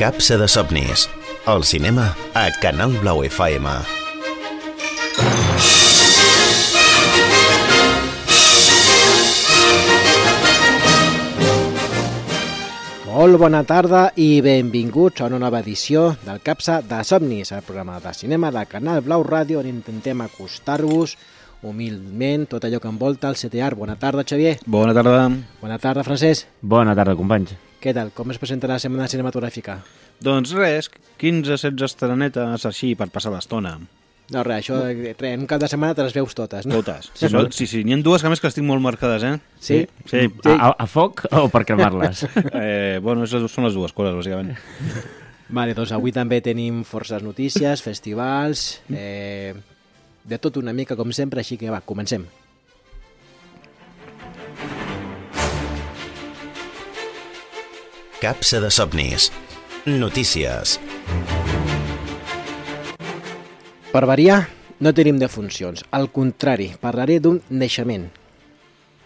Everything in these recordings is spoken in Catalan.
Capsa de somnis. El cinema a Canal Blau FM. Molt bona tarda i benvinguts a una nova edició del Capsa de somnis, el programa de cinema de Canal Blau Ràdio, on intentem acostar-vos humilment tot allò que envolta el CTR. Bona tarda, Xavier. Bona tarda. Bona tarda, Francesc. Bona tarda, companys. Què tal? Com es presentarà la setmana cinematogràfica? Doncs res, 15-16 estrenetes així per passar l'estona. No, res, això, en un cap de setmana te les veus totes, no? Totes. Sí, n'hi ha dues que més que estic molt marcades, eh? Sí? Sí. A foc o per cremar-les? Bueno, són les dues coses, bàsicament. Vale, doncs avui també tenim forces notícies, festivals, de tot una mica, com sempre, així que va, comencem. Capsa de somnis. Notícies. Per variar, no tenim defuncions. Al contrari, parlaré d'un naixement.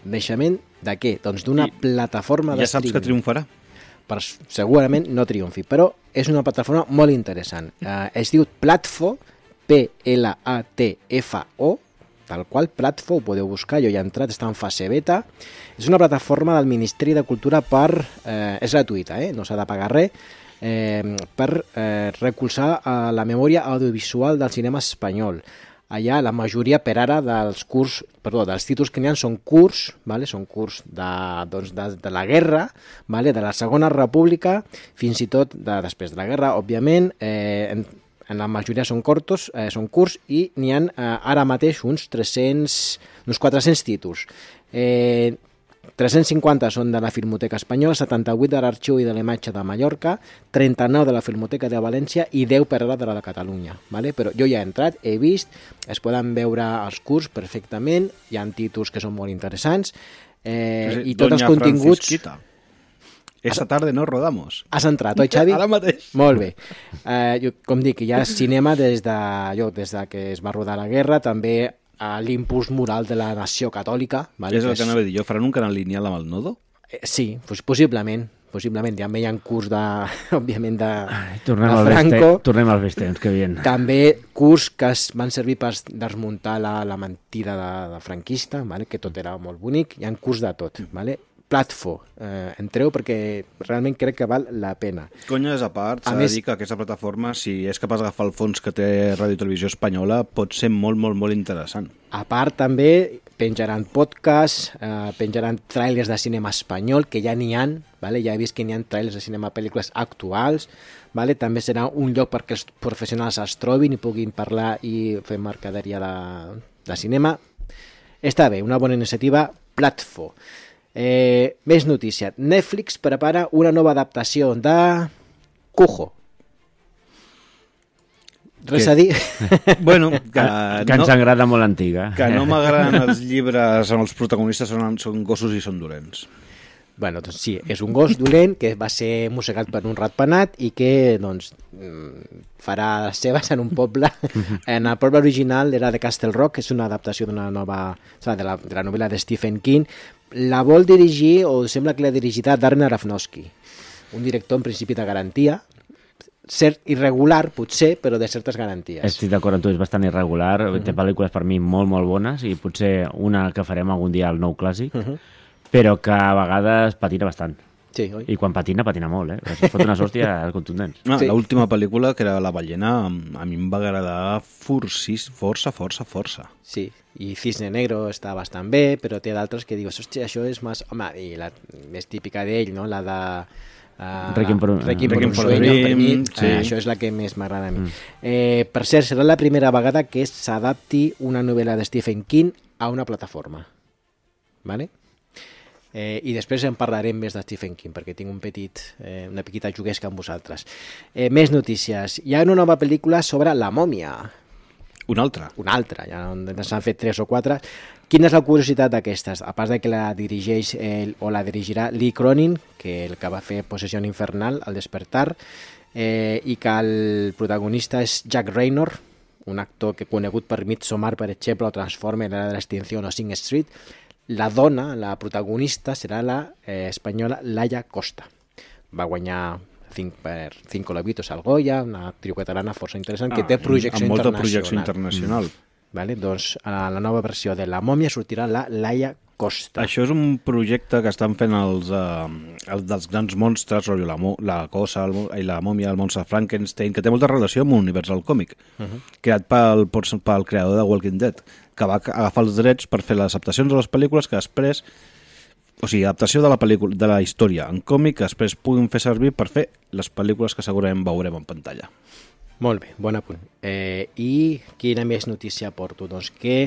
Naixement de què? Doncs d'una plataforma de Ja saps que triomfarà. Segurament no triomfi, però és una plataforma molt interessant. Es diu Platfo, P-L-A-T-F-O, tal qual, Platfo, ho podeu buscar, jo ja he entrat, està en fase beta. És una plataforma del Ministeri de Cultura és gratuïta, no s'ha de pagar res, per recolzar la memòria audiovisual del cinema espanyol. Allà la majoria per ara dels títols que n'hi ha són curts, vale? Són curts de la guerra, vale? De la Segona República, fins i tot després de la guerra, òbviament. En la majoria són curts i n'hi ha ara mateix uns 400 títols. 350 són de la Filmoteca Espanyola, 78 de l'Arxiu i de la Imatge de Mallorca, 39 de la Filmoteca de València i 10 per ara de la de Catalunya. Vale? Però jo ja he entrat, he vist, es poden veure els curts perfectament, hi ha títols que són molt interessants, i tots els continguts... Francisquita. Esta tarde no rodamos. Has entrat, oi, Xavi? Ara mateix. Molt bé. Com dic, hi ha cinema des de que es va rodar la guerra, també a l'impuls moral de la nació catòlica. Vale? És el que anava a dir jo. Faran un canal lineal amb el Nodo? Sí, possiblement. També hi ha curs òbviament, de Franco. Tornem als vells temps, que bien. També curs que van servir per desmuntar la mentida de franquista, vale? Que tot era molt bonic. Hi ha curs de tot. Vale? Platfo, entreu perquè realment crec que val la pena. Conyes a part, s'ha de dir que aquesta plataforma, si és capaç d'agafar el fons que té Ràdio i Televisió Espanyola, pot ser molt, molt, molt interessant. A part també penjaran podcasts, penjaran trailers de cinema espanyol, que ja n'hi ha, vale? Ja he vist que n'hi ha trailers de cinema, pel·lícules actuals, vale? També serà un lloc perquè els professionals es trobin i puguin parlar i fer mercaderia de cinema. Està bé, una bona iniciativa, Platfo. Més notícia. Netflix prepara una nova adaptació de Cujo. Res a dir? Bueno, que ens agrada molt antiga. Que no m'agraden els llibres on els protagonistes són gossos i són dolents. Bueno, doncs sí, és un gos dolent que va ser mossegat per un ratpenat i que doncs, farà les seves en un poble. En el poble original era de Castle Rock, és una adaptació d'una nova, de la novel·la de Stephen King. La vol dirigir, o sembla que l'ha dirigit Darren Aronofsky, un director en principi de garantia, cert irregular, potser, però de certes garanties. Estic d'acord amb tu, és bastant irregular, té pel·lícules per mi molt, molt bones, i potser una que farem algun dia al nou clàssic, però que a vegades patina bastant. Sí, oi? I quan patina molt, Es fot unes hòsties contundents. Sí. L'última pel·lícula, que era La ballena, a mi em va agradar força. Sí, i Cisne Negro està bastant bé, però té d'altres que dius, hòstia, això és més... Home, i la més típica d'ell, no? La de... Requiem per un sueño, per mi, sí. Això és la que més m'agrada a mi. Per cert, serà la primera vegada que s'adapti una novel·la de Stephen King a una plataforma. Vale? I després en parlarem més de Stephen King perquè tinc una petita juguesca amb vosaltres. Més notícies. Hi ha una nova pel·lícula sobre la mòmia. Una altra, ja s'han fet 3 o 4. Quina és la curiositat d'aquestes? A part de que la dirigeix o la dirigirà Lee Cronin, que el que va fer Possessió Infernal, El despertar, i que el protagonista és Jack Reynor, un actor que conegut per Midsommar, per exemple, o Transformer, l'era de l'extinció o Sing Street. La dona, la protagonista, serà la espanyola Laia Costa. Va guanyar per Cinco Lobitos al Goya, una actriu catalana força interessant que té projecció amb molta internacional. projecció internacional. Vale? Doncs a la nova versió de La Mòmia sortirà la Laia Costa. Això és un projecte que estan fent els dels grans monstres, rotllo la Cosa i la Mòmia, el monstre Frankenstein, que té molta relació amb l'univers del còmic, creat pel creador de Walking Dead, que va agafar els drets per fer les adaptacions de les pel·lícules que després... O sigui, adaptació de la pel·lícula, de la història en còmic que després puguin fer servir per fer les pel·lícules que segurament veurem en pantalla. Molt bé, bon apunt. I quina més notícia porto? Doncs que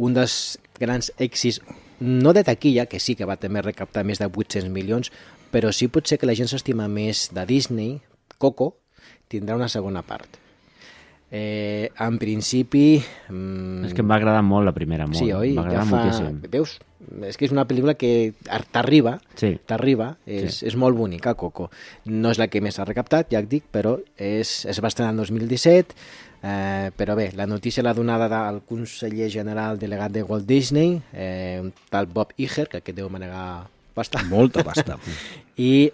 un dels grans èxits, no de taquilla, que sí que va també recaptar més de 800 milions, però sí potser que la gent s'estima més de Disney, Coco, tindrà una segona part. En principi... És que em va agradar molt la primera, molt. Sí, oi? M'agrada moltíssim. Veus? És que és una pel·lícula que t'arriba, Sí. és molt bonica, Coco. No és la que més ha recaptat, ja et dic, però es va estrenar en 2017, però bé, la notícia l'ha donada del conseller general delegat de Walt Disney, un tal Bob Iger, que aquest deu manegar pasta. Molta pasta. I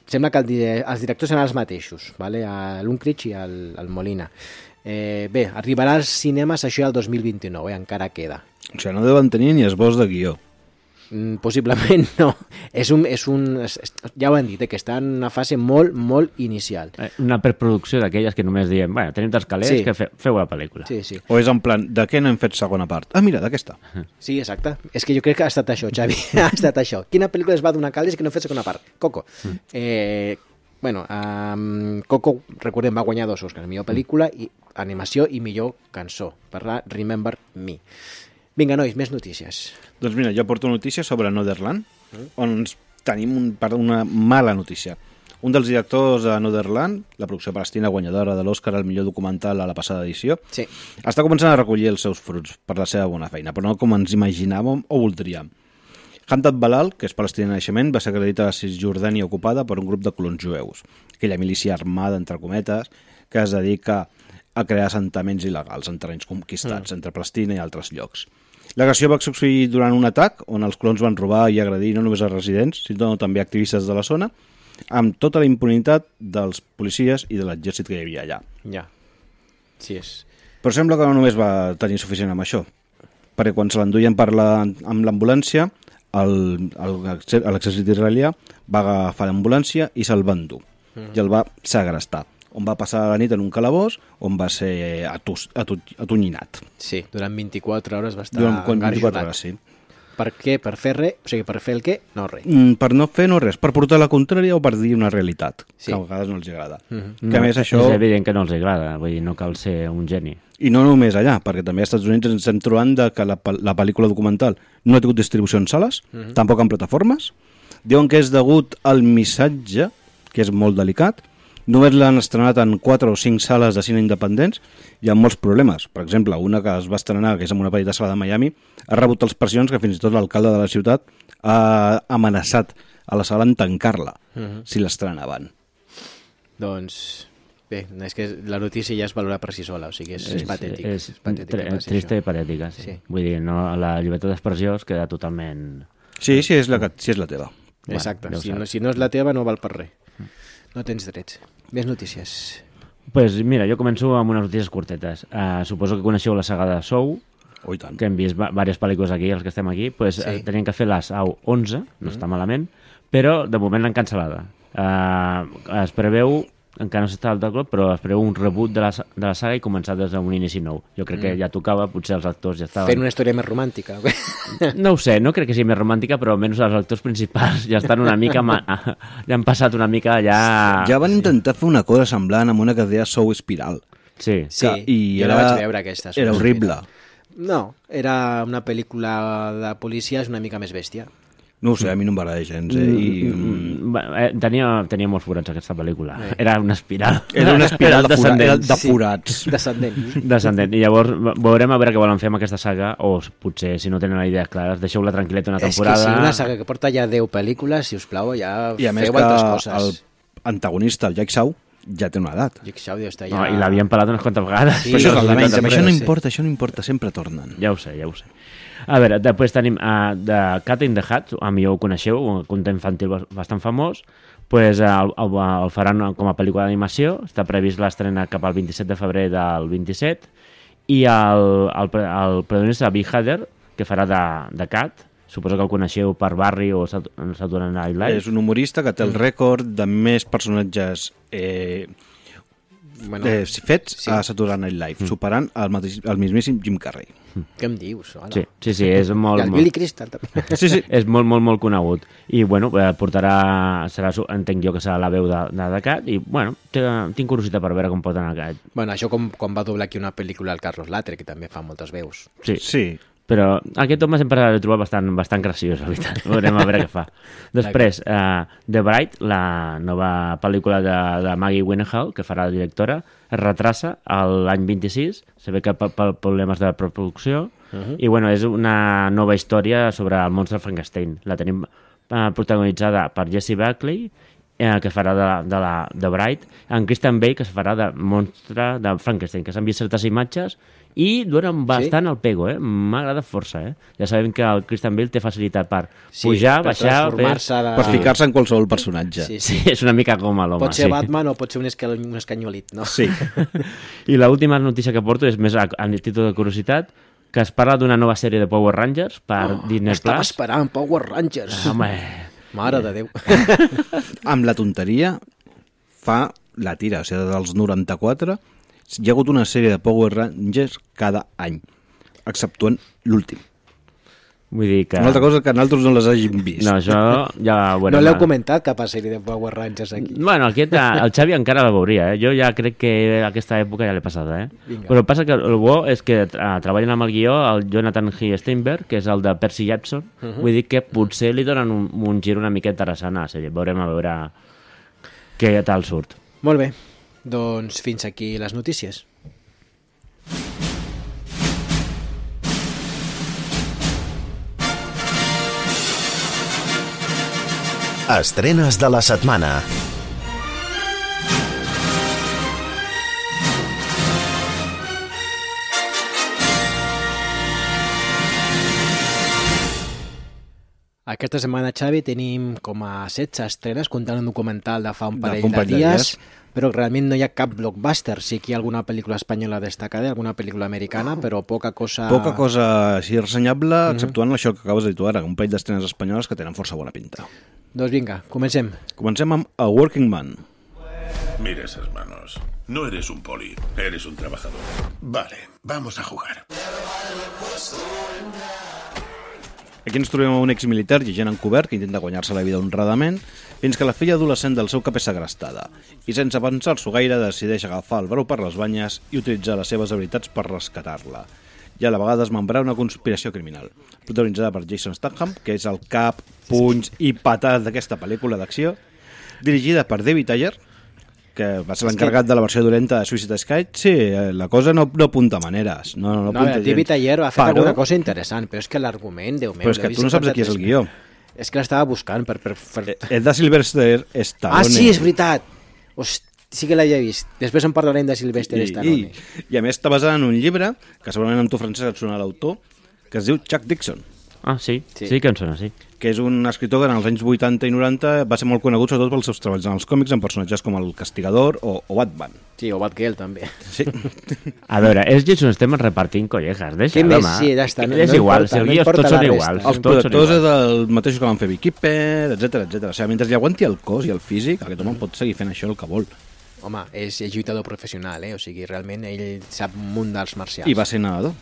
sembla que els directors seran els mateixos, vale? l'Unkrich i el Molina. Bé, arribarà als cinemes això el 2029, encara queda. O sigui, no deuen tenir ni esbós de guió. Possiblement no. Ja ho han dit, que està en una fase molt, molt inicial. Una preproducció d'aquelles que només diem, bueno, tenim tants calés, Sí. que feu la pel·lícula. Sí, sí. O és en plan, de què no hem fet segona part? Ah, mira, d'aquesta. Sí, exacte. És que jo crec que ha estat això, Xavi. Ha estat això. Quina pel·lícula es va donar calés que no ha fet segona part? Coco. Coco, recordem, va guanyar 2 Oscars. Millor pel·lícula, i animació i millor cançó, per la Remember Me. Vinga, nois, més notícies. Doncs mira, jo porto notícies sobre Anotherland, on tenim una mala notícia. Un dels directors de Anotherland, la producció palestina guanyadora de l'Oscar al millor documental a la passada edició, Sí. està començant a recollir els seus fruits per la seva bona feina, però no com ens imaginàvem o voldríem. Hamdat Balal, que és palestina de naixement, va ser acreditada a Cisjordània ocupada per un grup de colons jueus, aquella milícia armada, entre cometes, que es dedica a crear assentaments il·legals en terrenys conquistats entre Palestina i altres llocs. L'agressió va succeir durant un atac on els colons van robar i agredir no només a residents, sinó també activistes de la zona, amb tota la impunitat dels policies i de l'exèrcit que hi havia allà. Ja. Sí, és... Però sembla que no només va tenir suficient amb això, perquè quan se l'enduien amb l'ambulància, l'exèrcit israelià va agafar l'ambulància i se'l va endur, i el va segrestar, on va passar la nit en un calabós, on va ser atonyinnat. Sí, durant 24 hores va estar Durant 24 engarjolat. hores, sí. Per què? Per fer res? O sigui, per fer el què? No, res. Per no fer no res, per portar la contrària o per dir una realitat, Sí. que a vegades no els agrada. No, Que a més això... És evident que no els agrada, vull dir, no cal ser un geni. I no només allà, perquè també als Estats Units ens estem trobant que la pel·lícula documental no ha tingut distribució en sales, tampoc en plataformes. Diuen que és degut al missatge, que és molt delicat. Només l'han estrenat en 4 o 5 sales de cine independents i amb molts problemes. Per exemple, una que es va estrenar, que és en una petita sala de Miami, ha rebut tals pressions que fins i tot l'alcalde de la ciutat ha amenaçat a la sala en tancar-la si l'estrenaven. Doncs... Bé, és que la notícia ja es valora per si sola, o sigui, és patètic. És patètic que passi trista això. i patètica, sí. Sí. Vull dir, no, la llibertat d'expressió es queda totalment... Sí, sí, és la teva. Exacte, Bueno, ja ho si no és la teva no val per res. No tens drets. Més notícies. Pues mira, jo començo amb unes notícies curtetes. Suposo que coneixeu la saga de Sou, Oh, i tant. que hem vist diverses pel·lícules aquí, els que estem aquí, pues, Sí. tenien que fer la SAU 11, no està malament, però de moment l'han cancel·lada. Es preveu, encara no s'està al cop, però es preveu un reboot de la saga i començar des d'un inici nou. Jo crec que ja tocava, potser els actors ja estaven... Fent una història més romàntica. No ho sé, no crec que sigui més romàntica, però almenys els actors principals ja estan una mica... ja han passat una mica ja... Ja van intentar fer una cosa semblant amb una que es deia Sou Espiral. Sí. Sí, i jo la vaig veure aquesta. Era horrible. No, era una pel·lícula de policies una mica més bèstia. No ho sé, a mi no em va agradar gens. Tenia molts forats aquesta pel·lícula. Era una espiral. Era una espiral de descendent. forats. Descendent. Descendent. I llavors veurem a veure què volen fer amb aquesta saga, o potser, si no tenen idees clares, deixeu-la tranquil·leta una temporada. És que si una saga que porta ja 10 pel·lícules, si us plau, ja I a més feu que altres el coses. antagonista, el Jack Shaw, ja té una edat. Jake Shaw deu estar No, ja... I l'havien pelat unes quantes vegades. Sí, Però això és el de menys, sí. amb això no importa, sempre tornen. Ja ho sé, ja ho sé. A veure, després tenim The Cat in the Hat, a millor ho coneixeu, un conte infantil bastant famós, pues, el faran com a pel·lícula d'animació, està previst l'estrena cap al 27 de febrer del 27, i el protagonista Bill Hader, que farà de Cat, suposo que el coneixeu per Barry o Saturday Night Live. És un humorista que té el rècord de més personatges fets a Saturday Night Live, superant el mismíssim Jim Carrey. Què em dius? Hola. Sí, és molt... I el Billy Crystal també. Sí. És molt conegut. I, bueno, entenc jo que serà la veu de Cat, i, bueno, tinc curiositat per veure com pot anar Cat. Bueno, això com va doblar aquí una pel·lícula al Carlos Latre, que també fa moltes veus. Sí. Però aquest home sempre l'he trobat bastant graciós, la veritat. Veurem a veure què fa. Després, The Bride, la nova pel·lícula de Maggie Gyllenhaal, que farà la directora, es retrassa l'any 26, se ve que per problemes de preproducció, i bueno, és una nova història sobre el monstre Frankenstein. La tenim protagonitzada per Jessie Buckley, que farà de Bride, en Christian Bale, que es farà de monstre de Frankenstein, que s'han vist certes imatges i donen bastant el pego, m'agrada força, Ja sabem que el Christian Bale té facilitat per pujar, baixar... Per ficar-se en qualsevol personatge. Sí, és una mica com l'home. Pot ser Batman o pot ser un escanyolit, no? Sí. I l'última notícia que porto és més a títol de curiositat, que es parla d'una nova sèrie de Power Rangers per Disney+. Estava esperant Power Rangers. Home... Mare de Déu. Amb la tonteria fa la tira, o sigui, dels 94 hi ha hagut una sèrie de Power Rangers cada any, exceptuant l'últim. Vull dir que... Una altra cosa que nosaltres no les hàgim vist. No, això ja... Bueno, no l'heu comentat, cap a sèrie de Power Rangers aquí. Bueno, el Xavi encara la veuria, Jo ja crec que aquesta època ja l'he passada, Vinga. Però el passa que el bo és que treballen amb el guió el Jonathan G. Steinberg, que és el de Percy Jackson. Vull dir que potser li donen un gir una mica interessant a la sèrie. Veurem a veure què tal surt. Molt bé, doncs fins aquí les notícies. Estrenes de la setmana. Aquesta setmana, Xavi, tenim com a 16 estrenes, comptant un documental de fa un parell de dies, però realment no hi ha cap blockbuster. Sí que hi ha alguna pel·lícula espanyola destacada, alguna pel·lícula americana, però poca cosa... Poca cosa així ressenyable, exceptuant això que acabes de dir tu ara, un parell d'estrenes espanyoles que tenen força bona pinta. Doncs vinga, comencem. Comencem amb A Working Man. Mira esas manos. No eres un poli, eres un trabajador. Vale, vamos a jugar. Aquí ens trobem un exmilitar i agent encobert que intenta guanyar-se la vida honradament fins que la filla adolescent del seu cap és segrestada i sense pensar-s'ho gaire decideix agafar el brou per les banyes i utilitzar les seves habilitats per rescatar-la i a la vegada desmembrar una conspiració criminal protagonitzada per Jason Statham, que és el cap, punys i patat d'aquesta pel·lícula d'acció, dirigida per David Ayer, que va ser l'encarregat de la versió dolenta de Suicide Squad. Sí, la cosa no apunta maneres. No apunta David Ayer ha fet alguna cosa interessant, però és que l'argument, Déu meu... Però és que tu no saps de qui és el guió. És que l'estava buscant per... És de Sylvester Stallone. Ah, sí, és veritat! Hosti, sí que l'havia vist. Després en parlarem de Sylvester Stallone. I a més està basada en un llibre, que segurament amb tu, Francesc, et sona l'autor, que es diu Chuck Dixon. Ah, sí que em sona, sí. Que és un escriptor que en els anys 80 i 90 va ser molt conegut sobretot pels seus treballs en els còmics amb personatges com el Castigador o Batman. Sí, o Batgirl també. Sí. A veure, és Jason Statham repartint collejas, deixa, home. Sí, ja està. És igual, si els guios tots són iguals. Els productors és el mateix que van fer Vicky Pérez, etc. O sigui, mentre li aguanti el cos i el físic, aquest home pot seguir fent això el que vol. Home, és lluitador professional, o sigui, realment ell sap un munt d'arts marcials. I va ser nedador.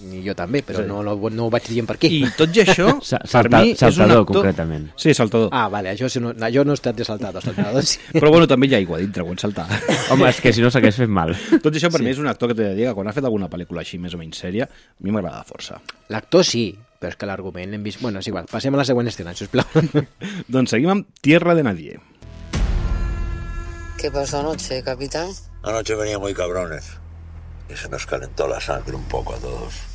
I jo també, però no ho vaig dir per què. I tot i això, per mi és un saltador, actor... concretament. Sí, saltador. Ah, vale, jo no he estat de saltador, sí. Però bueno, també hi ha aigua dintre quan saltar. Home, és que si no s'hagués fet mal. Tot i això, per mi és un actor que t'he de dir que quan ha fet alguna pel·lícula així més o menys sèria, a mi m'agrada força. L'actor sí, però és que l'argument l'hem vist... Bueno, és igual, passem a la següent escena, sisplau. Doncs seguim amb Tierra de Nadie. ¿Qué pasó anoche, capitán? Anoche venía muy cabrones y se nos calentó la sangre un poco a todos.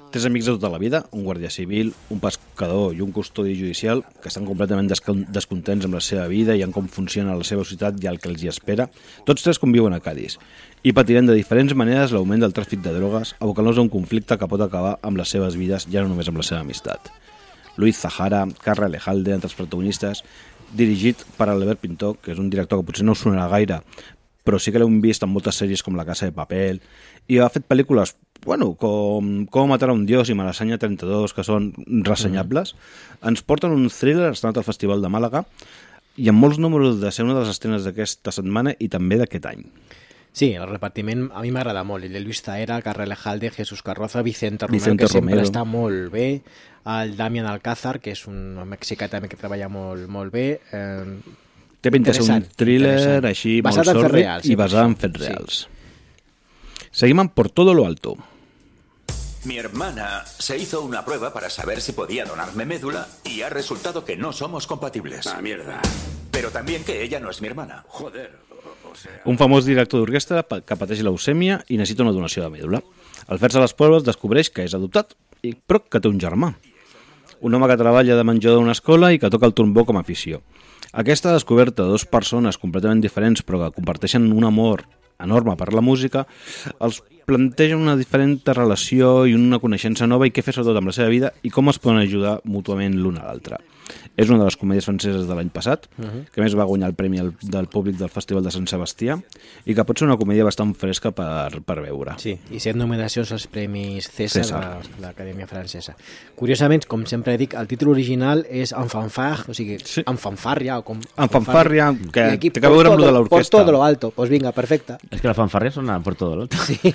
Tres amics de tota la vida, un guàrdia civil, un pescador i un custodi judicial que estan completament descontents amb la seva vida i en com funciona la seva ciutat i el que els hi espera. Tots tres conviuen a Cádiz i patiren de diferents maneres l'augment del tràfic de drogues, abocant-los a un conflicte que pot acabar amb les seves vides, ja no només amb la seva amistat. Luis Zahara, Carra Alejalde, entre els protagonistes, dirigit per Albert Pintor, que és un director que potser no us sonarà gaire, però sí que l'hem vist en moltes sèries com La Casa de Papel, i ha fet pel·lícules com matar a un dios i Malasaña 32, que són ressenyables. Ens porten un thriller estrenat al Festival de Màlaga i amb molts números de ser una de les estrenes d'aquesta setmana i també d'aquest any. Sí, el repartiment a mi m'agrada molt. El de Luis Zahara, Carra Alejalde, Jesús Carroza, Vicente Romero, que sempre està molt bé. El Damián Alcázar, que és un mexicà també que treballa molt bé. Té pinta de ser un thriller així molt sòrdid i basat en fets reals. Seguim amb Por todo lo alto. Mi hermana se hizo una prueba para saber si podía donarme médula y ha resultado que no somos compatibles. Ah, mierda. Pero también que ella no es mi hermana. Joder, o sea... Un famós director d'orquestra que pateix leucèmia i necessita una donació de mèdula. Al fer-se les proves descobreix que és adoptat, però que té un germà. Un home que treballa de menjador d'una escola i que toca el trombó com a afició. Aquesta descoberta de dues persones completament diferents però que comparteixen un amor enorme per la música, els planteja una diferent relació i una coneixença nova i què fer sobretot amb la seva vida i com es poden ajudar mútuament l'un a l'altre. És una de les comèdies franceses de l'any passat, que més va guanyar el premi del públic del Festival de Sant Sebastià i que pot ser una comèdia bastant fresca per veure. Sí, i 7 nominacions als Premis César de l'Acadèmia Francesa. Curiosament, com sempre dic, el títol original és En fanfare, o sigui, sí. En fanfàrria, o com... En fanfàrria, que té que veure amb lo de l'orquestra. Por todo lo alto, pues vinga, perfecte. És que la fanfàrria sona por todo lo alto. Sí.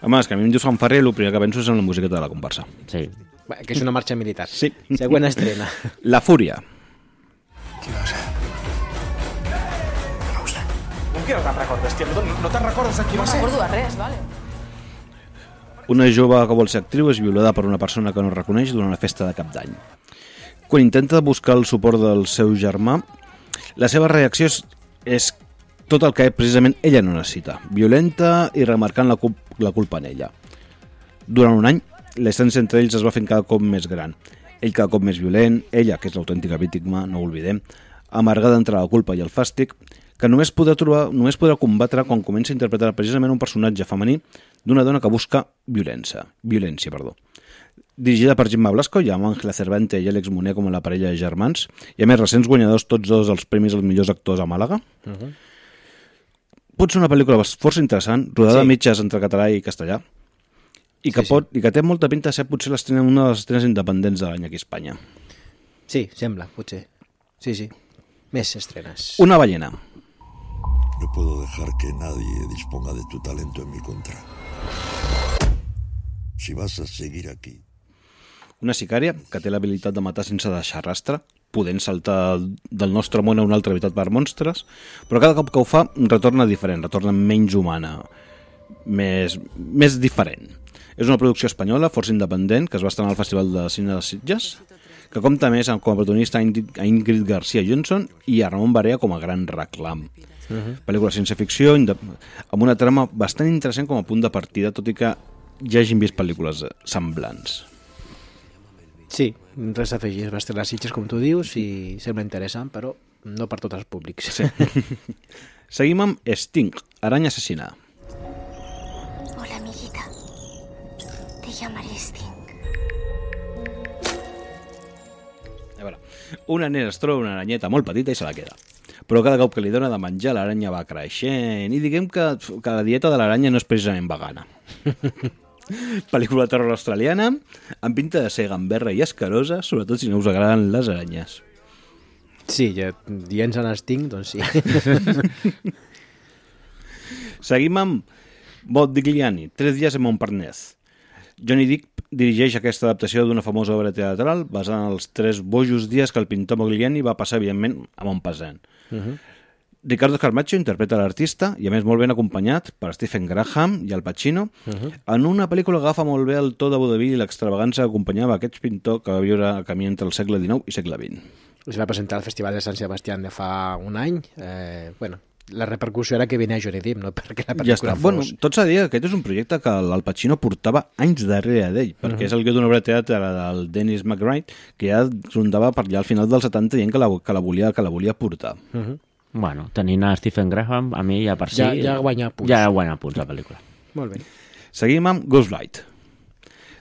Home, és que a mi em dius fanfàrria i el primer que penso és en la musiqueta de la comparsa. Sí. Que és una marxa militar. Sí. Següent estrena. La Fúria. Qui va ser? No ho sé. Com que no te'n recordes, tia? No te'n recordes de qui va ser? No recordo de res, vale. Una jove que vol ser actriu és violada per una persona que no reconeix durant una festa de cap d'any. Quan intenta buscar el suport del seu germà, la seva reacció és tot el que precisament ella no necessita, violenta i remarcant la culpa en ella. Durant un any, la distància entre ells es va fent cada cop més gran. Ell cada cop més violent, ella, que és l'autèntica víctima, no ho oblidem, amargada entre la culpa i el fàstic, que només podrà combatre quan comença a interpretar precisament un personatge femení d'una dona que busca violència. Dirigida per Gemma Blasco i amb Ángela Cervante i Àlex Moner com a la parella de germans, i a més recents guanyadors tots dos dels premis als millors actors a Màlaga. Pot ser una pel·lícula força interessant, rodada a mitges entre català i castellà, i que té molta pinta de ser potser una de les estrenes independents de l'any aquí a Espanya. Sí, sembla, potser. Sí. Més estrenes. Una ballena. No puedo dejar que nadie disponga de tu talento en mi contra. Si vas a seguir aquí... Una sicària que té l'habilitat de matar sense deixar rastre, podent saltar del nostre món a un altre habitat per monstres, però cada cop que ho fa retorna diferent, retorna menys humana, més diferent. És una producció espanyola, força independent, que es va estrenar al Festival de Cine de Sitges, que compta més com a protagonista a Ingrid García Johnson i a Ramon Barea com a gran reclam. Pel·lícula ciència-ficció amb una trama bastant interessant com a punt de partida, tot i que ja hagin vist pel·lícules semblants. Sí, res a afegir. Es va estrenar a Sitges, com tu dius, i sembla interessant, però no per tots els públics. Sí. Seguim amb Sting, aranya assassina. Hola, amiguita. Te llamaré Sting. A veure, una nena es troba una aranyeta molt petita i se la queda. Però cada cop que li dona de menjar l'aranya va creixent i diguem que la dieta de l'aranya no és precisament vegana. Pel·lícula de terror australiana amb pinta de ser gamberra i escarosa, sobretot si no us agraden les aranyes. Sí, ja dient en Sting, doncs sí. Seguim amb Modigliani, 3 dies en Montparnasse. Johnny Depp dirigeix aquesta adaptació d'una famosa obra teatral basada en els 3 bojos dies que el pintor Modigliani va passar, evidentment, a Montparnasse. Ricardo Carmaccio interpreta l'artista i a més molt ben acompanyat per Stephen Graham i Al Pacino en una pel·lícula que agafa molt bé el to de vodevil i l'extravagància que acompanyava aquest pintor que va viure a camí entre el segle XIX i segle XX. Es va presentar al Festival de Sant Sebastián de fa un any. La repercussió era que venia Johnny Depp, no perquè la pel·lícula fos... Bueno, tot s'ha de dir que aquest és un projecte que el Pacino portava anys darrere d'ell, perquè és el guió d'una obra de teatre del Dennis McBride, que ja rondava per allà al final dels 70 dient que la volia portar. Bueno, tenint a Stephen Graham, a mi ja per si... Ja guanya punts. Ja guanya punts la pel·lícula. Molt bé. Seguim amb Ghostlight.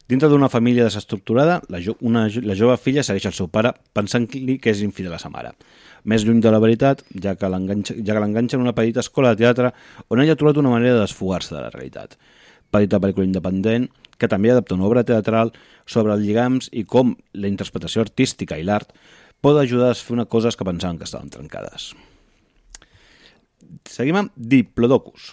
Dintre d'una família desestructurada, la jove filla segueix el seu pare pensant-li que és infidel a sa mare. Més lluny de la veritat, ja que l'enganxa en una petita escola de teatre on ella ha trobat una manera de desfogar-se de la realitat. Petita pel·lícula independent que també adapta una obra teatral sobre els lligams i com la interpretació artística i l'art pot ajudar a fer coses que pensaven que estaven trencades. Seguim amb Diplodocus.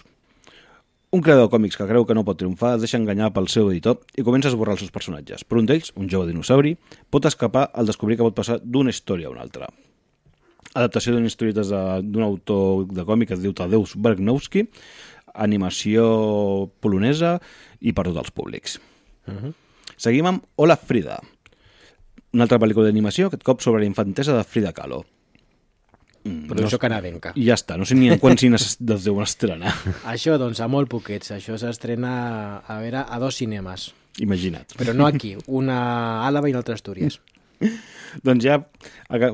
Un creador de còmics que creu que no pot triomfar es deixa enganyar pel seu editor i comença a esborrar els seus personatges. Per un d'ells, un jove dinosauri, pot escapar al descobrir que pot passar d'una història a una altra. Adaptació d'unes historietes d'un autor de còmic que es diu Tadeusz Bergnowski, animació polonesa i per tots els públics. Seguim amb Hola Frida, una altra pel·lícula d'animació, aquest cop sobre la infantesa de Frida Kahlo. Producció canadenca. I ja està, no sé ni en quants cines es deuen estrenar. Això, doncs, a molt poquets. Això s'estrena a 2 cinemes. Imagina't. Però no aquí, una a Àlava i una altra a Astúries. Doncs ja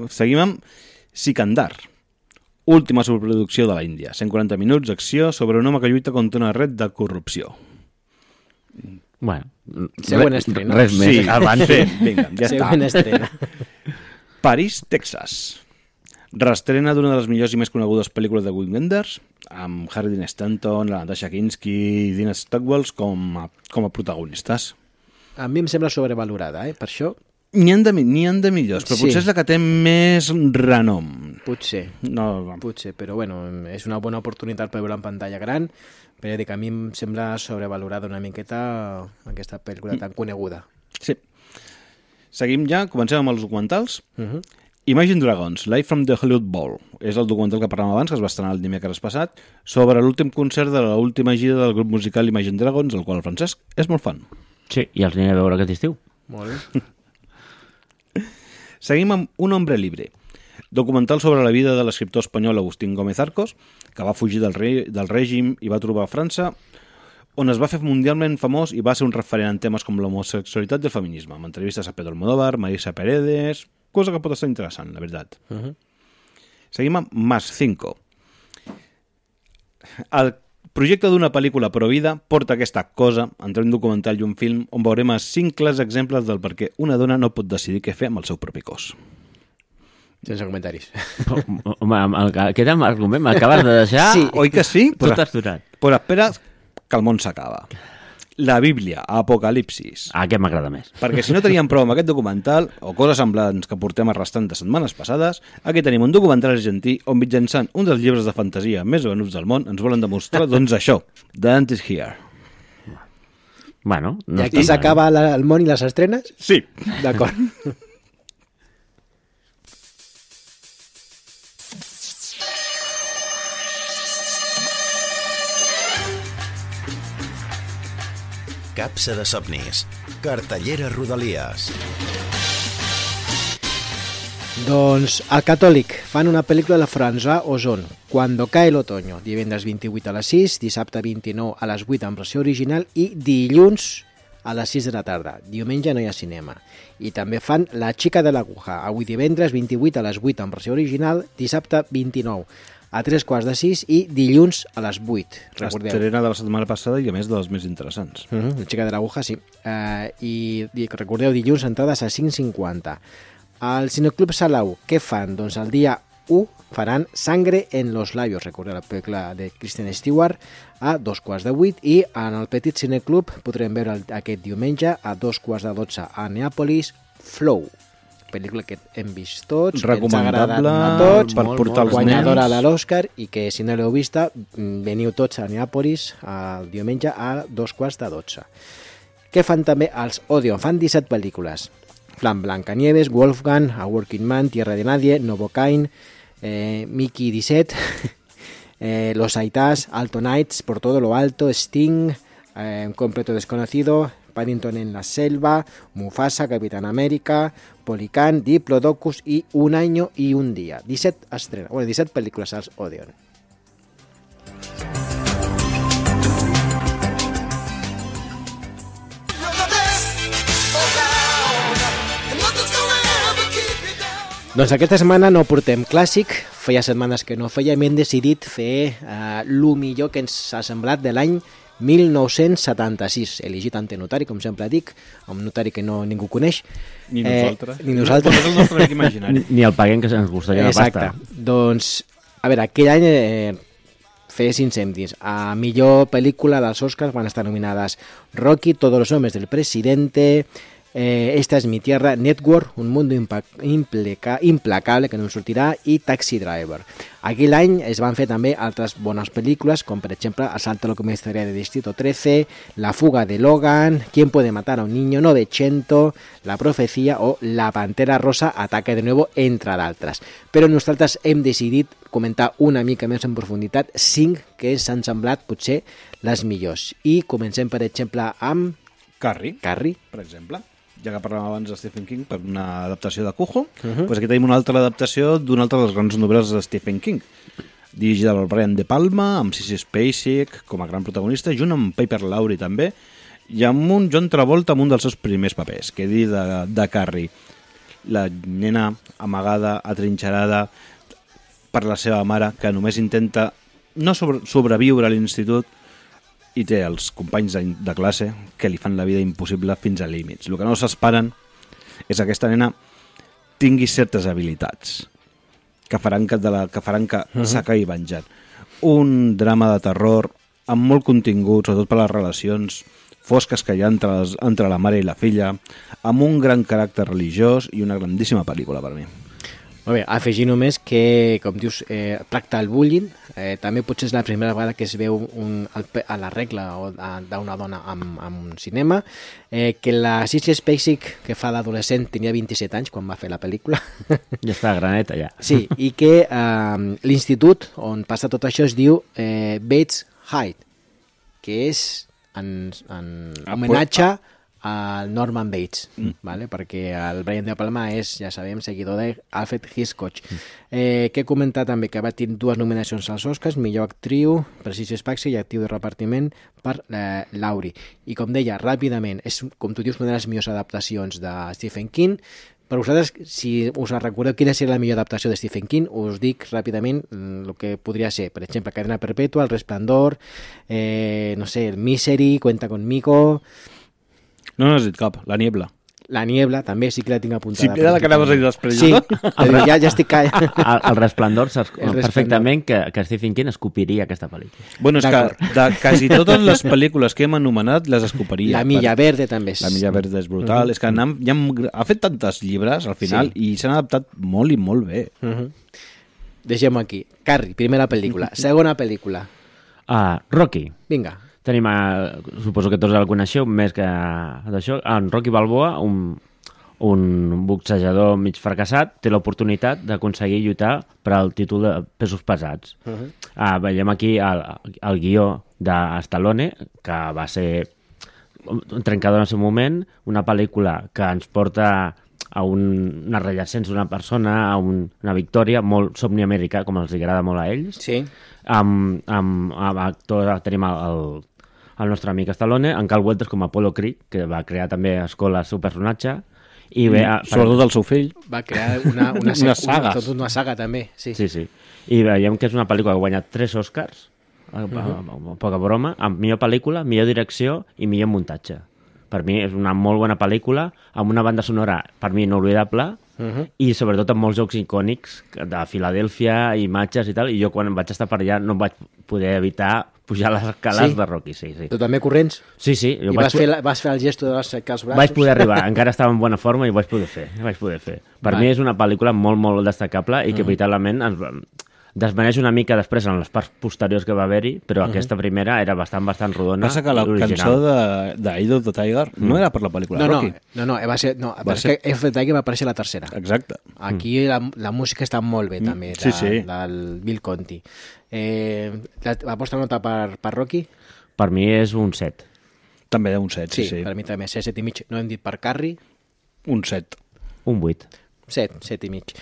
seguim amb Sikandar, última superproducció de la Índia. 140 minuts d'acció sobre un home que lluita contra una red de corrupció. Bueno, següent estrena. Res més. Sí, abans. Vinga, ja està. Següent estrena. París, Texas. Reestrena d'una de les millors i més conegudes pel·lícules de Wim Wenders, amb Harry Dean Stanton, la Natasha Kinski i Dina Stockwell com a protagonistes. A mi em sembla sobrevalorada, per això... N'hi ha de millors, però potser és la que té més renom. Potser, però bueno, és una bona oportunitat per veure en pantalla gran, però dic, a mi em sembla sobrevalorada una miqueta aquesta pel·lícula tan coneguda. Sí. Seguim ja, comencem amb els documentals. Imagine Dragons, Live from the Hollywood Bowl. És el documental que parlàvem abans, que es va estrenar el dimecres passat, sobre l'últim concert de l'última gira del grup musical Imagine Dragons, el qual el Francesc és molt fan. Sí, i els aniré a veure aquest estiu. Molt bé. Seguim amb Un hombre libre, documental sobre la vida de l'escriptor espanyol Agustín Gómez Arcos, que va fugir del règim i va trobar a França, on es va fer mundialment famós i va ser un referent en temes com l'homosexualitat i el feminisme, amb entrevistes a Pedro Almodóvar, Marisa Paredes, cosa que pot estar interessant, la veritat. Seguim amb Más 5. El projecte d'una pel·lícula Provida porta aquesta cosa entre un documental i un film on veurem 5 clars exemples del per què una dona no pot decidir què fer amb el seu propi cos. Sense comentaris. Home, aquest argument m'acabes de deixar... Sí, oi que sí? Tot aturat. Però espera que el món s'acaba. La Bíblia, Apocalipsis. Aquest m'agrada més. Perquè si no teníem prou amb aquest documental, o coses semblants que portem arrastrant de setmanes passades, aquí tenim un documental argentí on mitjançant un dels llibres de fantasia més venuts del món ens volen demostrar, doncs això, The End is Here. Bueno, I aquí s'acaba el món i les estrenes? Sí. D'acord. Capsa de somnis. Cartellera Rodalies. Doncs al Catòlic fan una pel·lícula de François Ozon, Cuando cae el otoño, divendres 28 a les 6, dissabte 29 a les 8 en versió original i dilluns a les 6 de la tarda. Diumenge no hi ha cinema. I també fan La xica de l'aguja, avui divendres 28 a les 8 en versió original, dissabte 29 a 3:45 i dilluns a les 8. Recordeu. Estrena de la setmana passada i a més de les més interessants. La xica de l'aguja, sí. I recordeu, dilluns entrades a 5:50. Al Cineclub Salau, què fan? Doncs el dia 1 faran Sangre en los labios, recordeu la pel·lícula de Kristen Stewart, a 2:15 i en el Petit Cineclub podrem veure aquest diumenge a 2:12 a Neàpolis, Flow, pel·lícula que hem vist tots, recomanable a tots, per portar els guanyadora nens de l'Oscar, i que si no l'heu vista veniu tots a Neàpolis el diumenge a 2:12. Què fan també els Odeon? Fan 17 pel·lícules. Fan Blancanieves, Wolfgang, A Working Man, Tierra de Nadie, Novocaine, Mickey 17, Los Aitás, Alto Nights, Por todo lo alto, Sting, Un completo desconocido, Paddington en la selva, Mufasa, Capitán América, Policán, Diplodocus i Un año y un día. 17 estrenes, 17 pel·lícules als Odeon. Doncs aquesta setmana no portem clàssic, feia setmanes que no feia, hem decidit fer el millor que ens ha semblat de l'any 1976, elegit ante notari, com sempre dic, un notari que ningú coneix. Ni nosaltres. Ni nosaltres. És el nostre amic imaginari. Ni el paguem, que ens costaria una pasta. Exacte. Doncs, a veure, aquell any feia 5 cèntims. A millor pel·lícula dels Oscars van estar nominades Rocky, Todos los hombres del presidente, Esta es mi tierra, Network, Un mundo implacable, que no em sortirà, i Taxi Driver. Aquell any es van fer també altres bones pel·lícules, com per exemple Asalto a la comisaría de Distrito 13, La fuga de Logan, ¿Quién puede matar a un niño? 900, La profecía o La pantera rosa, Ataque de nuevo, entre d'altres. Però nosaltres hem decidit comentar una mica més en profunditat 5 que s'han semblat potser les millors. I comencem, per exemple, amb Carrie, per exemple. Ja que parlàvem abans de Stephen King per una adaptació de Cujo, doncs aquí tenim una altra adaptació d'una altra de les grans novel·les de Stephen King, dirigida per Brian De Palma, amb Sissy Spacek com a gran protagonista, junt amb Piper Laurie també, i amb un John Travolta amb un dels seus primers papers, que dir de Carrie, la nena amagada, atrinxerada per la seva mare, que només intenta no sobreviure a l'institut, i té els companys de classe que li fan la vida impossible fins a límits. El que no s'esperen és que aquesta nena tingui certes habilitats que faran que s'acabi venjant. Un drama de terror amb molt contingut, sobretot per les relacions fosques que hi ha entre la mare i la filla, amb un gran caràcter religiós i una grandíssima pel·lícula per mi. Molt bé, afegir només que, com dius, tracta el bullying, també potser és la primera vegada que es veu a la regla d'una dona en un cinema, que la Sissy Spacek, que fa d'adolescent, tenia 27 anys quan va fer la pel·lícula. Ja està graneta, ja. Sí, i que l'institut on passa tot això es diu Bates High, que és en homenatge al Norman Bates, ¿vale? Perquè el Brian De Palma és, ja sabem, seguidor d'Alfred Hitchcock. Que he comentat també que va tenir 2 nominacions als Oscars, millor actriu per Sissy Spacek i actriu de repartiment per Laurie. I com deia, ràpidament, és, com tu dius, una de les millors adaptacions de Stephen King. Per vosaltres, si us recordeu quina seria la millor adaptació de Stephen King, us dic ràpidament el que podria ser, per exemple, Cadena Perpetua, El Resplandor, no sé, El Misery, Cuenta conmigo... No n'has dit cap, La Niebla. La Niebla, també sí que la tinc apuntada. Sí, era la que anaves a dir després. Sí, però ja estic... El Resplendor saps perfectament que Stephen King escopiria aquesta pel·lícula. Bueno, és que de quasi totes les pel·lícules que hem anomenat les escopiria. La Milla Verde també és... La Milla Verde és brutal. És que ha fet tantes llibres al final i s'han adaptat molt i molt bé. Deixem-ho aquí. Carrie, primera pel·lícula. Segona pel·lícula. Rocky. Vinga. Tenim, suposo que tots el coneixeu, més que d'això, en Rocky Balboa, un boxejador mig fracassat, té l'oportunitat d'aconseguir lluitar per al títol de pesos pesats. Veiem aquí el guió de Stallone, que va ser un trencador en el seu moment, una pel·lícula que ens porta a una rellascència d'una persona, a una victòria, molt somni americà, com els agrada molt a ells. Sí. Amb actors tenim el nostre amic Stallone, en Carl Weathers com a Apollo Creed, que va crear també a escola el seu personatge, i sobretot el seu fill. Va crear una saga. Una saga també, sí. Sí. I veiem que és una pel·lícula que ha guanyat 3 Oscars, poca broma, amb millor pel·lícula, millor direcció i millor muntatge. Per mi és una molt bona pel·lícula, amb una banda sonora, per mi, inolvidable, i sobretot amb molts jocs icònics de Filadèlfia, imatges i tal, i jo quan vaig estar per allà no vaig poder evitar pujar les escales de Rocky, sí. Tu també corrents? Sí. I vas fer el gesto de aixecar els braços? Vaig poder arribar, encara estava en bona forma i ho vaig poder fer. Per mi és una pel·lícula molt, molt destacable i que veritablement desvaneix una mica després en les parts posteriors que va haver-hi, però aquesta primera era bastant rodona. Passa que la cançó d'Eye of the Tiger no era per la pel·lícula de Rocky. No, que Eye of the Tiger va aparèixer a la tercera. Exacte. Aquí la música està molt bé també, del Bill Conti. La vostra nota per Rocky? Per mi és un 7. També un 7, sí. Per mi també, 7,5. No hem dit per Carrie? Un 7. Un 8. 7,5.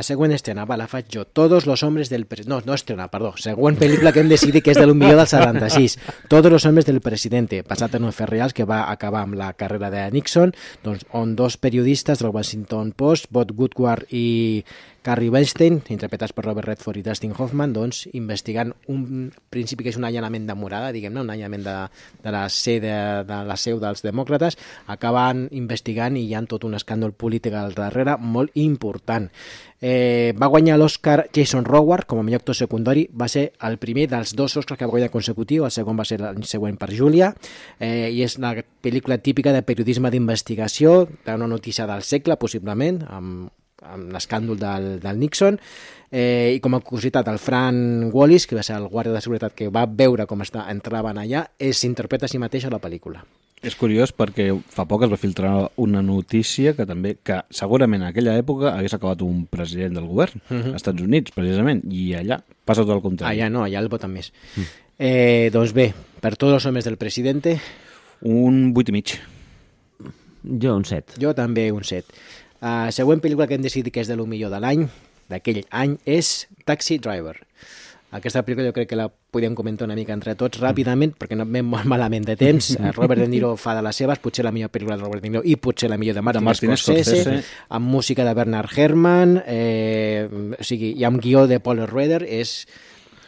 Següent estrena, la faig jo. Todos los hombres del presidente. No estrena, perdó. Següent pel·lícula que hem decidit que és de l'Un millor del 76. Todos los hombres del presidente, basat en un fet reals que va acabar amb la carrera de Nixon, on 2 periodistes del Washington Post, Bob Woodward i Carrie Weinstein, interpretats per Robert Redford i Dustin Hoffman, doncs, investigant un principi que és un allanament de morada, diguem-ne, un allanament de la seu dels demòcrates, acaben investigant i hi ha tot un escàndol polític al darrere molt important. Va guanyar l'Oscar Jason Howard com a millor actor secundari, va ser el primer dels 2 Oscars que va guanyar consecutiu, el segon va ser l'any següent per Julia, i és una pel·lícula típica de periodisme d'investigació, d'una notícia del segle, possiblement, amb l'escàndol del Nixon, i com a curiositat, el Frank Wallis, que va ser el guàrdia de seguretat que va veure com entraven allà, s'interpreta a si mateix a la pel·lícula. És curiós perquè fa poc es va filtrar una notícia que segurament en aquella època hagués acabat un president del govern, als Estats Units, precisament, i allà passa tot el contrari. Allà no, allà el voten més. Doncs bé, per tots els homes del presidente... Un 8,5. Jo un 7. Jo també un 7. Següent pel·lícula que hem decidit que és de lo millor de l'any, d'aquell any, és Taxi Driver. Aquesta pel·lícula jo crec que la podíem comentar una mica entre tots ràpidament, perquè no anem molt malament de temps. Robert De Niro fa de les seves, potser la millor pel·lícula de Robert De Niro i potser la millor de Martin Scorsese, amb música de Bernard Herrmann, o sigui, i amb guió de Paul Schrader, és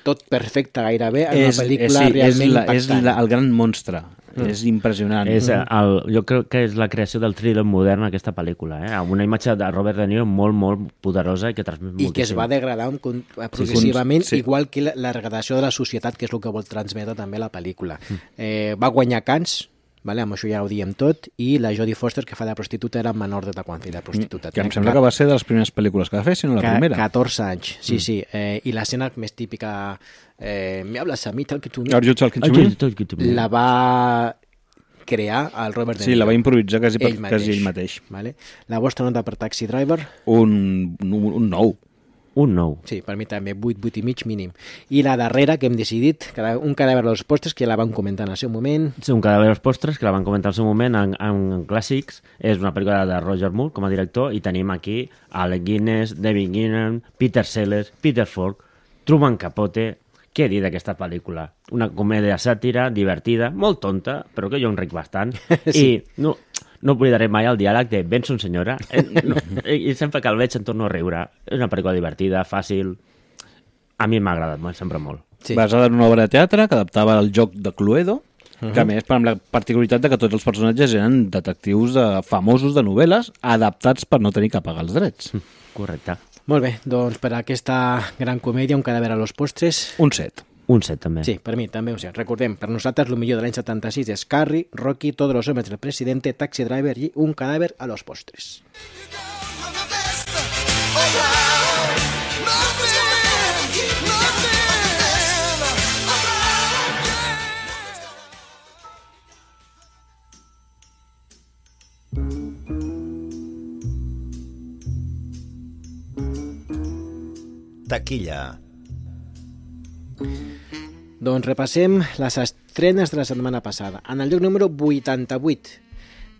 tot perfecte gairebé, en una pel·lícula realment impactant. És el gran monstre. És impressionant. Jo crec que és la creació del thriller modern aquesta pel·lícula, amb una imatge de Robert De Niro molt, molt poderosa i que transmet moltíssim. I que es va degradar progressivament, igual que la degradació de la societat, que és el que vol transmetre també la pel·lícula. Va guanyar Cannes, amb això ja ho diem tot, i la Jodie Foster, que fa de prostituta, era menor d'edat quan feia de prostituta. Que em sembla que va ser de les primeres pel·lícules que va fer, si no la primera. 14 anys, sí. I l'escena més típica, me hablas a mi, tal que tu... La va crear el Robert De Niro. Sí, la va improvisar quasi ell mateix. La vostra nota per Taxi Driver? Un 9. Un 9. Sí, per mi també, 8 i mig mínim. I la darrera que hem decidit, un cadàver dels postres, que ja la vam comentar en el seu moment. Sí, un cadàver dels postres, que la vam comentar en el seu moment en Clàssics. És una pel·lícula de Roger Moore com a director, i tenim aquí Alec Guinness, David Gilmour, Peter Sellers, Peter Falk, Truman Capote. Què dir d'aquesta pel·lícula? Una comèdia sàtira, divertida, molt tonta, però que jo enric bastant. Sí. I no oblidaré mai el diàleg de Benson, senyora. I sempre que el veig em torno a riure. És una pel·lícula divertida, fàcil. A mi m'ha agradat sempre molt. Sí. Basada en una obra de teatre que adaptava el joc de Cluedo, que a més, amb la particularitat de que tots els personatges eren detectius famosos de novel·les adaptats per no tenir que pagar els drets. Correcte. Molt bé, doncs per aquesta gran comèdia, un cadàver a los postres... Un 7. Un 7, també. Sí, per mi també un 7. Recordem, per nosaltres el millor de l'any 76 és Carrie, Rocky, Todos los hombres del presidente, Taxi Driver i un cadàver a los postres. Taquilla. Doncs repassem les estrenes de la setmana passada. En el lloc número 88,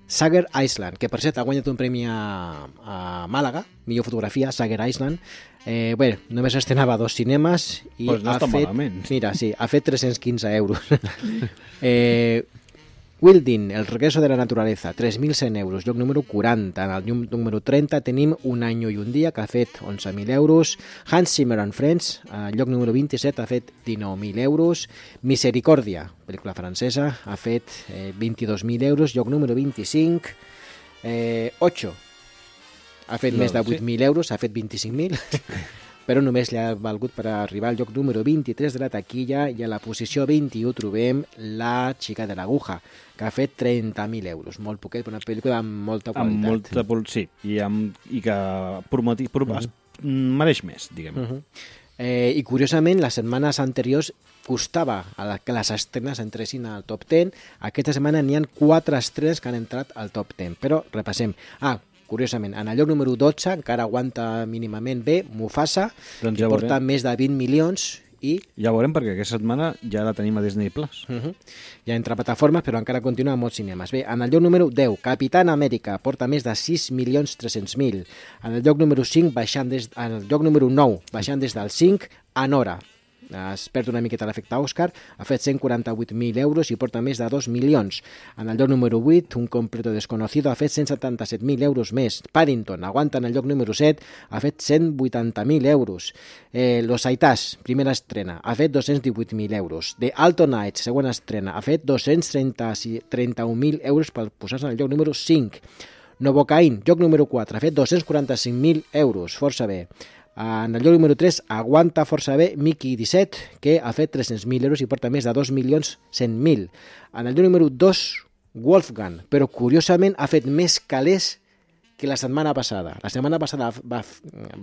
Sager Island, que per cert ha guanyat un premi a Màlaga, millor fotografia, Sager Island. Només estrenava 2 cinemes i pues no ha fet... malament. Mira, sí, ha fet 315 euros. Wilding, El regreso de la naturaleza, 3.100 euros, lloc número 40. En el lloc número 30 tenim Un año y un día, que ha fet 11.000 euros. Hans Zimmer and Friends, lloc número 27, ha fet 19.000 euros. Misericòrdia, pel·lícula francesa, ha fet 22.000 euros, lloc número 25. Ocho, ha fet més de 8.000 euros, ha fet 25.000. Però només li ha valgut per arribar al lloc número 23 de la taquilla, i a la posició 21 trobem La chica de l'aguja, que ha fet 30.000 euros. Molt poquet, però una pel·lícula amb molta qualitat. Sí, i que mereix més, diguem. I curiosament, les setmanes anteriors costava que les estrenes entressin al top 10. Aquesta setmana n'hi ha 4 estrenes que han entrat al top 10, però repassem. Curiosament, en el lloc número 12 encara aguanta mínimament bé Mufasa, que porta més de 20 milions i... Ja veurem, perquè aquesta setmana ja la tenim a Disney+. Ja entra a plataformes, però encara continua a molts cinemes. Bé, en el lloc número 10, Capitán Amèrica, porta més de 6.300.000. En el lloc número 5, en el lloc número 9, baixant des del 5, Anora. es perd una miqueta l'efecte Òscar, ha fet 148.000 euros i porta més de 2 milions. En el lloc número 8, Un completo desconocido ha fet 177.000 euros més. Paddington aguanta en el lloc número 7, ha fet 180.000 euros. Los Aitás, primera estrena, ha fet 218.000 euros. The Alton Knights, segona estrena, ha fet 231.000 euros per posar-se en el lloc número 5. Novocain, lloc número 4, ha fet 245.000 euros, força bé. En el lloc número 3 aguanta força bé Mickey 17, que ha fet 300.000 euros i porta més de 2.100.000. En el lloc número 2, Wolfgang, però curiosament ha fet més calés que la setmana passada. La setmana passada va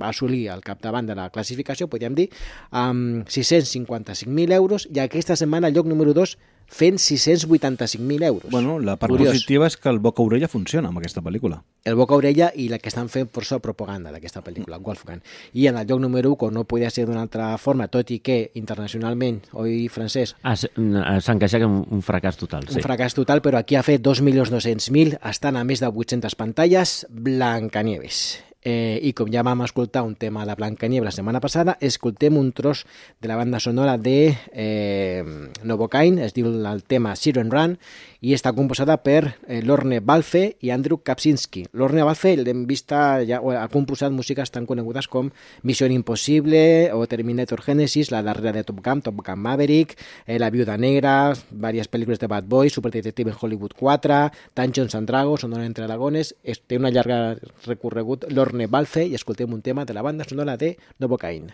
assolir el capdavant de la classificació, podríem dir, amb 655.000 euros, i aquesta setmana el lloc número 2 fent 685.000 euros. Bueno, la part Curiós. positiva és que el boca-orella funciona amb aquesta pel·lícula. El boca-orella i la que estan fent força propaganda d'aquesta pel·lícula, Wolfgang. I en el lloc número 1, com no podia ser d'una altra forma, tot i que internacionalment, oi, Francesc? S'han queixat que un fracàs total, sí. Un fracàs total, però aquí ha fet 2.200.000, estan a més de 800 pantalles, Blancanieves. I com ja vam escoltar un tema de Blancanieves la setmana passada, escoltem un tros de la banda sonora de Novocain, es diu el tema Siren Run, i està composada per Lorne Balfe i Andrew Kapczynski. Lorne Balfe l'hem vista, ja ha composat músiques tan conegudes com Mission Impossible o Terminator Genesis, la darrera de Top Gun Maverick, La Viuda Negra, diverses pel·lícules de Bad Boys, Super Detective en Hollywood 4, Dungeons and Dragons, Honor entre Dragones. Té una llarga recorregut Lorne Balfe i escoltem un tema de la banda sonora de Novocain.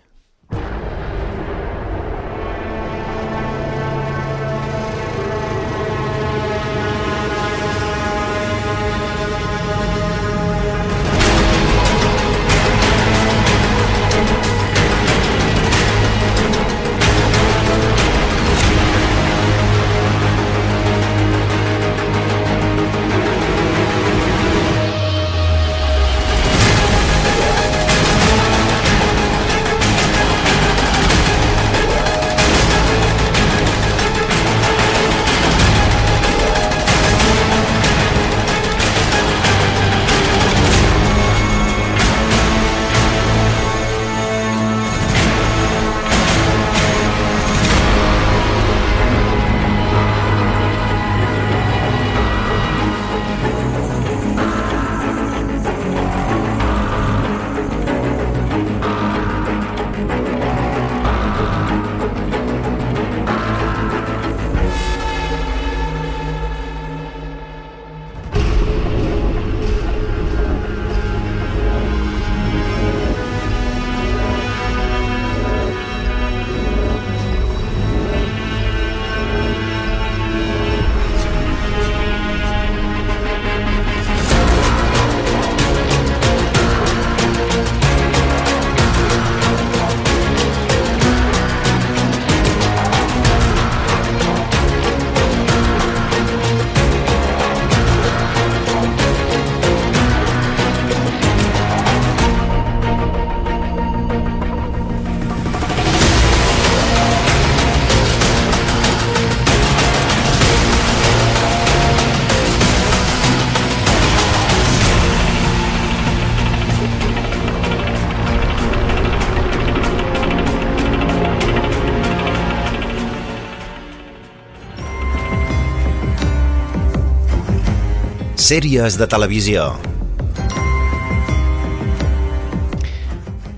Sèries de televisió.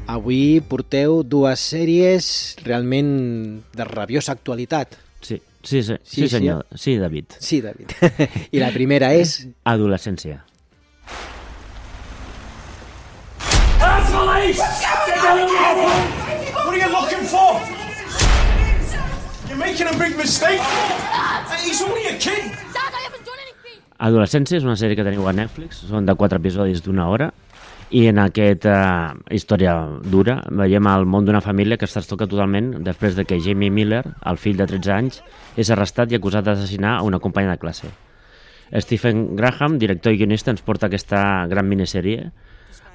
Avui porteu dues sèries realment de rabiosa actualitat. Sí, senyor. Sí, David. Sí, David. I la primera és... Adolescència. What are you looking for? You're making a big mistake. He's only a kid. Adolescència és una sèrie que teniu a Netflix, són de 4 episodis d'1 hora, i en aquesta història dura veiem el món d'una família que es trastoca totalment després de que Jamie Miller, el fill de 13 anys, és arrestat i acusat d'assassinar a una companya de classe. Stephen Graham, director i guionista, ens porta aquesta gran minissèrie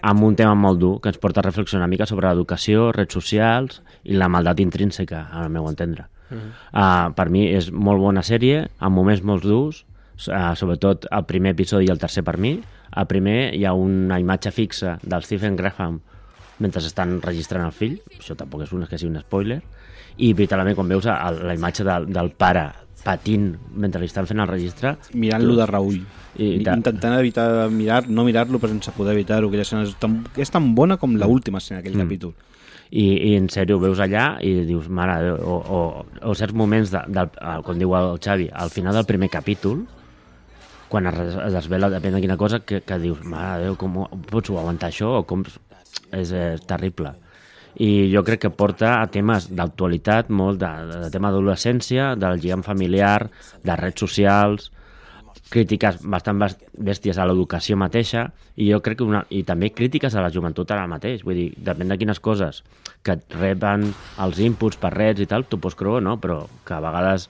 amb un tema molt dur que ens porta a reflexionar una mica sobre l'educació, redes socials i la maldat intrínseca, al meu entendre. Per mi és molt bona sèrie, amb moments molt durs, sobretot el primer episodi i el tercer per mi. Al primer hi ha una imatge fixa del Stephen Graham mentre estan registrant el fill, això tampoc és que sigui un spoiler, i literalment quan veus la imatge del pare patint mentre li estan fent el registre... Mirant-lo de reull. Intentant evitar no mirar-lo però sense poder evitar-ho. Aquella escena és tan bona com l'última escena d'aquell capítol. I en sèrio, ho veus allà i dius, mare de Déu, o certs moments, com diu el Xavi, al final del primer capítol, quan es desvela, depèn de quina cosa, que dius, mare de Déu, com pots aguantar això? O com... És terrible. I jo crec que porta a temes d'actualitat, molt de tema d'adolescència, del lligam familiar, de redes socials, crítiques bastant bèsties a l'educació mateixa, i jo crec que i també crítiques a la joventut ara mateix. Vull dir, depèn de quines coses que et reben els inputs per redes i tal, tu pots creure, no? Però que a vegades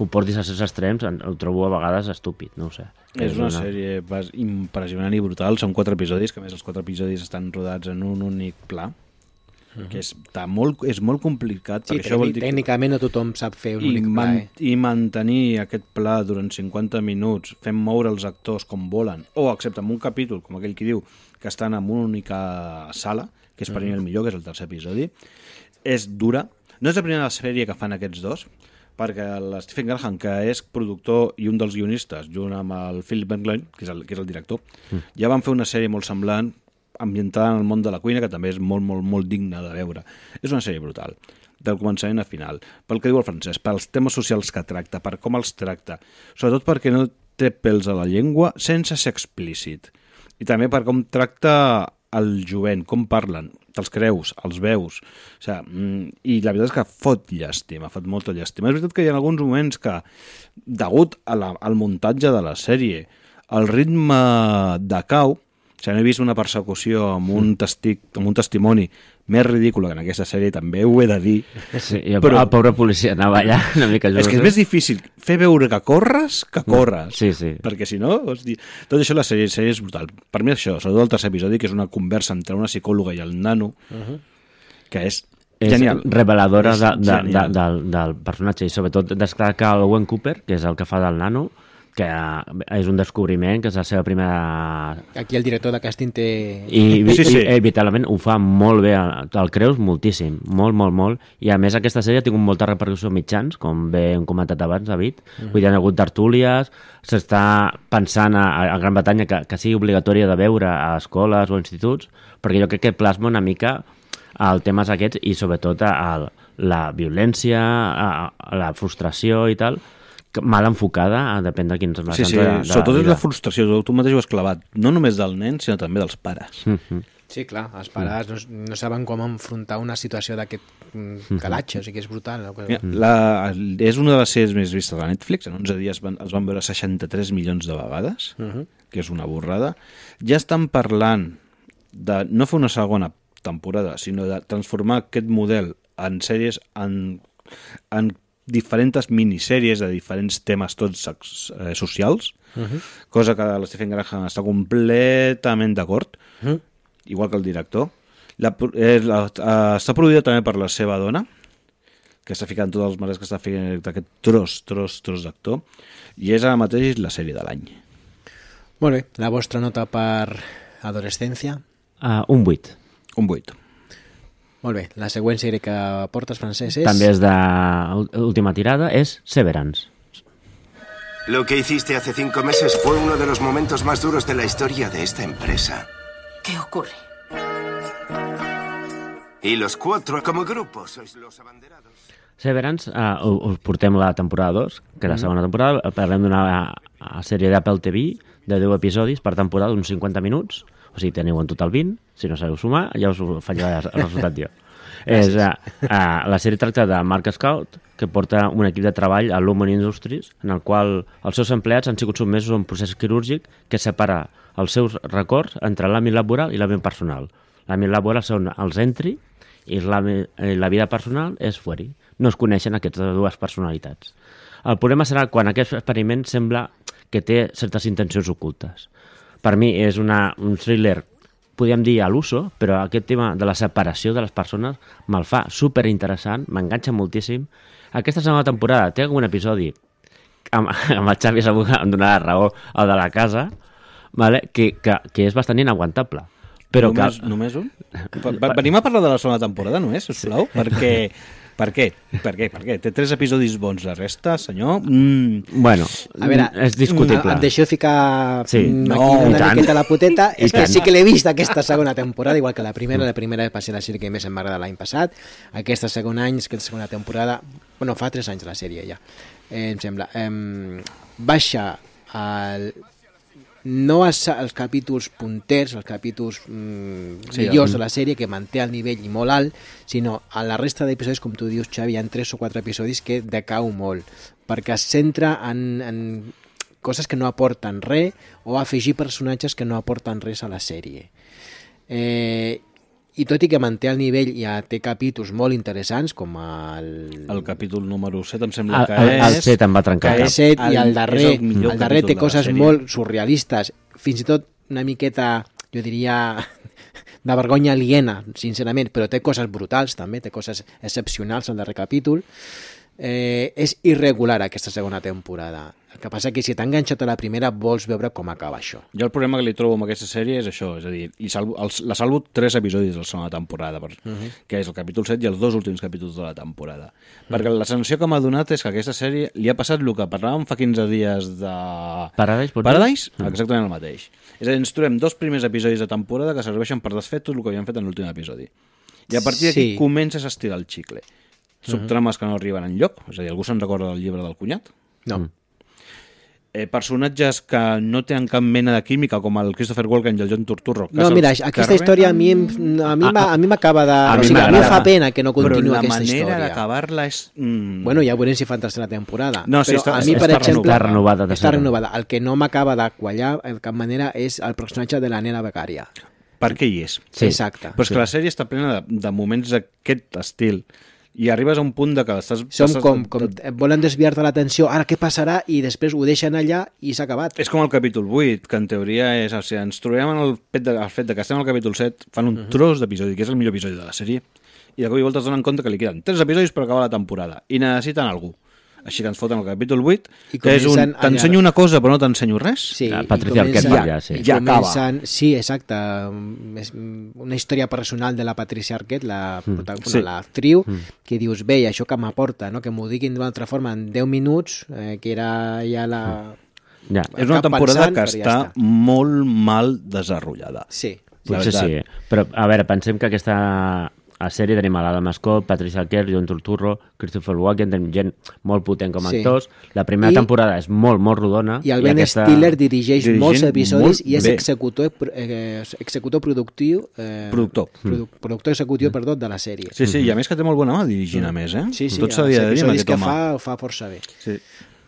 ho portis a certs extrems, ho trobo a vegades estúpid, no ho sé. És una sèrie impressionant i brutal, són 4 episodis, que a més els 4 episodis estan rodats en un únic pla, que és molt complicat. Sí, això vol dir tècnicament no tothom sap fer un únic pla. I mantenir aquest pla durant 50 minuts, fent moure els actors com volen, o excepte en un capítol, com aquell que diu, que estan en una única sala, que és per mi el millor, que és el tercer episodi, és dura. No és la primera sèrie que fan aquests dos, perquè Stephen Graham, que és productor i un dels guionistes, junt amb el Philip Bergloin, que és el director, ja van fer una sèrie molt semblant, ambientada en el món de la cuina, que també és molt, molt, molt digna de veure. És una sèrie brutal, del començament a final. Pel que diu el Francesc, pels temes socials que tracta, per com els tracta, sobretot perquè no té pèls a la llengua sense ser explícit. I també per com tracta el jovent, com parlen, te'ls creus, els veus, o sigui, i la veritat és que fot llàstima, fot molta llàstima. És veritat que hi ha alguns moments que, degut al muntatge de la sèrie, el ritme decau. O sigui, no he vist una persecució amb un testimoni més ridícula que en aquesta sèrie, també ho he de dir. Sí, però el pobre policia anava allà una mica... És que és més difícil fer veure que corres que corres. Sí, sí. Perquè si no, tot això la sèrie és brutal. Per mi això, sobretot el tercer episodi, que és una conversa entre una psicòloga i el nano, que és genial. És reveladora del personatge, i sobretot destaca el Owen Cooper, que és el que fa del nano, que és un descobriment, que és la seva primera... Aquí el director de càsting té... I vitalment ho fa molt bé, el creus moltíssim, molt, molt, molt, i a més aquesta sèrie ha tingut molta repercussió mitjans, com bé hem comentat abans, David, vull dir, hi ha hagut tertúlies, s'està pensant a Gran Bretanya que sigui obligatòria de veure a escoles o instituts, perquè jo crec que plasma una mica els temes aquests i sobretot la violència, la frustració i tal, mal enfocada, depèn de quins... Sí, sobretot és la frustració, tu mateix ho has clavat, no només del nen, sinó també dels pares. Sí, clar, els pares no saben com enfrontar una situació d'aquest calatge, o sigui que és brutal. És una de les sèries més vistes a Netflix, en 11 dies els van veure 63 milions de vegades, que és una borrada. Ja estan parlant de no fer una segona temporada, sinó de transformar aquest model en sèries, en diferents minissèries de diferents temes tots socials, cosa que l'Stephen Graham està completament d'acord, igual que el director. Està produïda també per la seva dona, que està ficant tots els mares que està fent aquest tros d'actor, i és ara mateix la sèrie de l'any. Molt bé, la vostra nota per adolescència? Un 8. Un 8. Molt bé, la següent sèrie que portes, Francesc, és... També és d'última tirada, és Severance. Lo que hiciste hace 5 meses fue uno de los momentos más duros de la historia de esta empresa. ¿Qué ocurre? Y los 4, como grupo, sois los abanderados. Severance, us portem la temporada 2, que és la segona temporada. Parlem d'una sèrie d'Apple TV de 10 episodis per temporada, uns 50 minuts. O sigui, teniu en total 20. Si no sabeu sumar, ja us fallarà el resultat jo. La sèrie tracta de Mark Scout, que porta un equip de treball a Lumon Industries, en el qual els seus empleats han sigut sotmesos a un procés quirúrgic que separa els seus records entre l'àmbit laboral i l'àmbit personal. L'àmbit laboral són els entry i la vida personal és fuori. No es coneixen aquestes dues personalitats. El problema serà quan aquest experiment sembla que té certes intencions ocultes. Per mi és un thriller, podríem dir a l'uso, però aquest tema de la separació de les persones me'l fa superinteressant, m'enganxa moltíssim. Aquesta segona temporada té algun episodi, amb el Xavi segur que em donarà raó, el de la casa, vale? que és bastant inaguantable, Però només un? Venim a parlar de la segona temporada, no és, sisplau? Perquè... Per què? Té 3 episodis bons, la resta, senyor... Bueno, a veure, és discutible. Et deixo ficar sí. una miqueta la puteta. És que sí que l'he vist aquesta segona temporada, igual que la primera. La primera va ser la sèrie que més em va agradar l'any passat. Aquesta segona temporada... Bueno, fa 3 anys la sèrie ja, em sembla. Baixa no els capítols punters, els capítols millors de la sèrie, que manté el nivell molt alt, sinó a la resta d'episodis, com tu dius, Xavi, hi ha 3 o 4 episodis que decau molt, perquè es centra en coses que no aporten res o afegir personatges que no aporten res a la sèrie. I tot i que manté el nivell, ja té capítols molt interessants, com el capítol número 7, em sembla que és... El 7 em va trencar. El 7 i el darrer té coses molt surrealistes, fins i tot una miqueta, jo diria, de vergonya aliena, sincerament, però té coses brutals també, té coses excepcionals al darrer capítol. És irregular aquesta segona temporada. El que passa que si t'ha enganxat a la primera vols veure com acaba això. Jo el problema que li trobo amb aquesta sèrie és això, és a dir, la salvo 3 episodis de la segona temporada, que és el capítol 7 i els 2 últims capítols de la temporada. Perquè la sensació que m'ha donat és que aquesta sèrie li ha passat el que parlàvem fa 15 dies de... Paradise? Exactament el mateix. És a dir, ens trobem 2 primers episodis de temporada que serveixen per desfer tot el que havien fet en l'últim episodi. I a partir d'aquí comences a estirar el xicle. Subtrames que no arriben enlloc, és a dir, algú se'n recorda del llibre del cunyat? No. Personatges que no tenen cap mena de química, com el Christopher Walken i el John Turturro. No, mira, aquesta història a mi m'acaba de... A mi em fa pena que no continuï aquesta història. Però la manera d'acabar-la és... Bueno, ja veurem si fan tercera temporada. No, sí, però a mi, per exemple, està renovada. El que no m'acaba de quallar de cap manera és el personatge de la nena becària. Per què hi és? Sí. Exacte. Però és que la sèrie està plena de moments d'aquest estil. I arribes a un punt de que estàs... Són com volen desviar-te l'atenció, ara què passarà? I després ho deixen allà i s'ha acabat. És com el capítol 8, que en teoria és... O sigui, ens trobem en el fet de que estem al capítol 7, fan un tros d'episodi, que és el millor episodi de la sèrie, i de cop i volta es donen compte que li queden 3 episodis per acabar la temporada, i necessiten algú. Així que ens foten el capítol 8, que és un... T'ensenyo una cosa però no t'ensenyo res. Sí, Patricia Arquette ja acaba. Sí, exacte. És una història personal de la Patricia Arquette, l'actriu, que dius, bé, això que m'aporta, no? Que m'ho diguin d'una altra forma en 10 minuts, que era ja la... Ja. És una temporada que està molt mal desenvolupada. Sí. Potser sí, però a veure, pensem que aquesta... A sèrie tenim a l'Adam Scott, Patricia Arquette, John Turturro, Christopher Walken, tenim gent molt potent com a actors. La primera temporada és molt, molt rodona. I el Ben Stiller dirigeix molts episodis i és executor productiu... Productor executiu, perdó, de la sèrie. Sí, i a més que té molt bona mà dirigint, a més, eh? Sí, tot s'havia de dir amb aquest home. Ho fa força bé.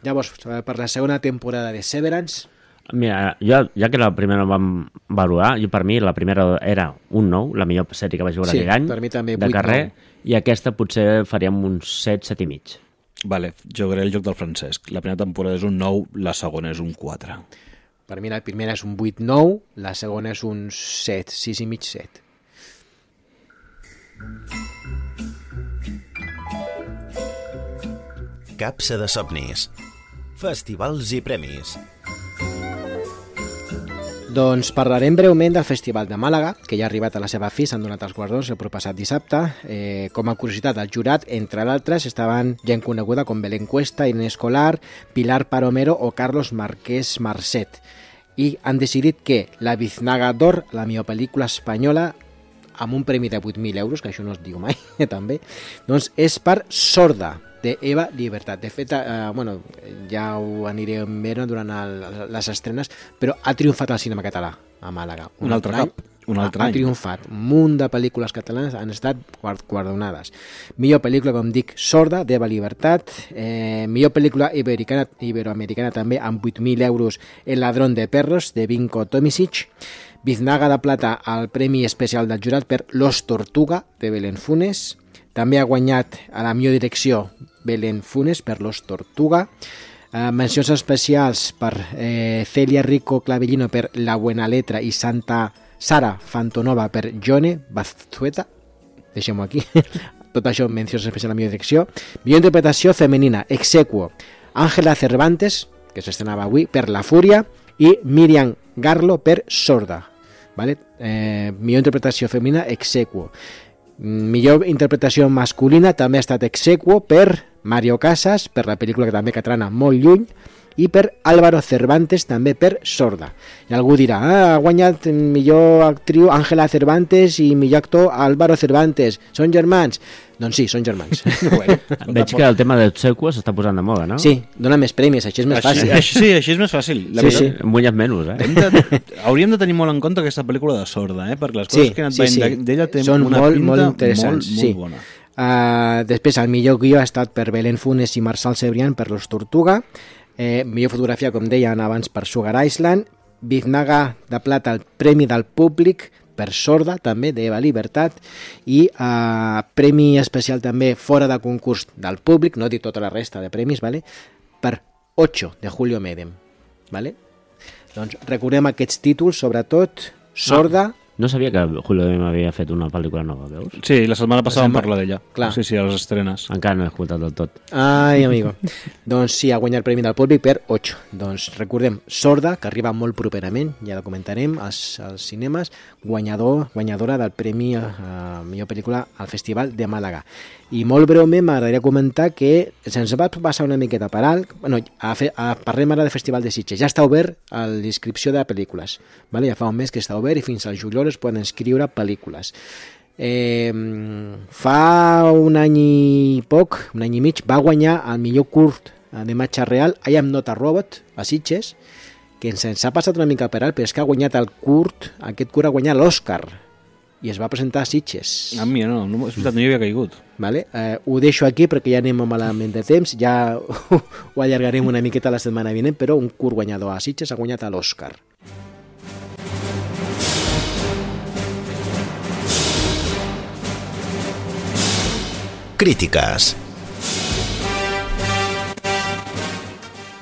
Llavors, per la segona temporada de Severance... Mira, ja que la primera vam valorar, per mi la primera era un 9, la millor sèrie que vaig veure aquell any, per mi també, de carrer, i aquesta potser faríem un 7, 7 i mig. Vale, jugaré el joc del Francesc. La primera temporada és un 9, la segona és un 4. Per mi la primera és un 8-9, la segona és un 7, 6 i mig 7. Capsa de somnis. Festivals i premis. Doncs parlarem breument del Festival de Màlaga, que ja ha arribat a la seva fi, s'han donat els guardons el proppassat dissabte. Com a curiositat, el jurat, entre d'altres, estaven gent coneguda com Belén Cuesta, Inés Colar, Pilar Paromero o Carlos Marquès Marcet. I han decidit que La Biznaga d'Or, la millor pel·lícula espanyola, amb un premi de 8.000 euros, que això no es diu mai, també, doncs és per Sorda, de Eva Libertad. De fet, ja ho anirem veient durant les estrenes, però ha triomfat al cinema català a Màlaga. Un altre any. Ha triomfat. Un munt de pel·lícules catalanes han estat guardonades. Millor pel·lícula, com dic, Sorda, d'Eva Libertad. Millor pel·lícula iberoamericana també, amb 8.000 euros, El ladrón de perros, de Vinko Tomisic. Biznaga de plata al Premi Especial del Jurat per Los Tortuga, de Belén Funes. També ha guanyat a la millor direcció Belén Funes per Los Tortuga. Mencions especials per Celia Rico Clavellino per La Buena Letra i Sara Fantonova per Jone Bazzueta. Deixem-ho aquí. Tot això, mencions especials a la millor direcció. Millor interpretació femenina, Exequo, Ángela Cervantes, que s'estrenava avui, per La Fúria, i Miriam Garlo per Sorda. Vale? Millor interpretació femenina, ex aequo. Millor interpretació masculina també ha estat ex aequo per Mario Casas, per la pel·lícula que també catalana Molt lluny, i per Álvaro Cervantes, també per Sorda. I algú dirà, ha guanyat millor actriu Ángela Cervantes i millor actor Álvaro Cervantes. Són germans? Doncs sí, són germans. Bueno, veig que el tema del sequa s'està posant de moda, no? Sí, dona més premis, així és més fàcil. Sí, així és més fàcil. Sí. Hem guanyat menys, Hauríem de tenir molt en compte aquesta pel·lícula de Sorda, perquè les coses que han anat veient d'ella té són una pinta molt interessants, molt bona. Després, el millor guió ha estat per Belén Funes i Marçal Cebrián per Los Tortuga. Millor fotografia, com deien abans, per Sugar Island. Biznaga de plata, el Premi del Públic per Sorda, també, d'Eva Libertat, i premi especial també fora de concurs del públic, no dic tota la resta de premis, vale? Per 8, de Julio Medem. Vale? Doncs recordem aquests títols, sobretot Sorda. No sabia que Julio Medem havia fet una pel·lícula nova, veus? Sí, la setmana passada vam parlar d'ella. Sí, a les estrenes. Encara no he escoltat del tot. Ai, amigo. Doncs sí, ha guanyat el Premi del Públic per 8. Doncs recordem, Sorda, que arriba molt properament, ja la comentarem, als cinemes, guanyadora del Premi a millor pel·lícula al Festival de Màlaga. I molt breument m'agradaria comentar que se'ns va passar una miqueta per alt, parlem ara de Festival de Sitges, ja està obert a la inscripció de pel·lícules, vale? Ja fa un mes que està obert i fins al juliol es poden inscriure pel·lícules. Fa un any i poc, un any i mig, va guanyar el millor curt de imatge real I Am Not a Robot a Sitges, que ens ha passat una mica per alt, però és que ha guanyat aquest curt ha guanyat l'Òscar i es va presentar a Sitges. A mi no, és veritat, no hi havia caigut. Vale? Ho deixo aquí perquè ja anem malament de temps, ja ho allargarem una miqueta la setmana vinent, però un curt guanyador a Sitges ha guanyat l'Òscar. Crítiques.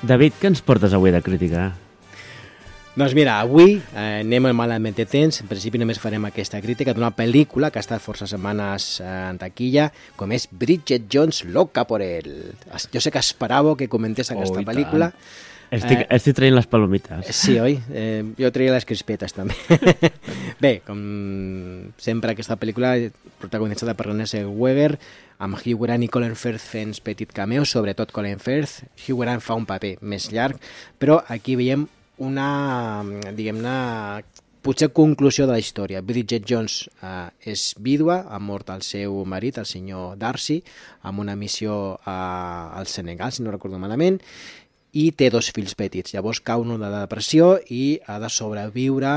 David, què ens portes avui de crítica? Doncs mira, avui anem malament de temps. En principi només farem aquesta crítica d'una pel·lícula que ha estat força setmanes en taquilla, com és Bridget Jones, Loca por él. Jo sé que esperàveu que comentés aquesta pel·lícula. Estic traient les palomites. Sí, oi? Jo traia les crispetes també. Bé, com sempre aquesta pel·lícula protagonitzada per Renée Zellweger, amb Hugh Grant i Colin Firth fent petit cameo, sobretot Colin Firth. Hugh Grant fa un paper més llarg, però aquí veiem una, diguem-ne, potser conclusió de la història. Bridget Jones és vídua, ha mort el seu marit, el senyor Darcy, amb una missió al Senegal, si no recordo malament, i té 2 fills petits. Llavors cau en una depressió i ha de sobreviure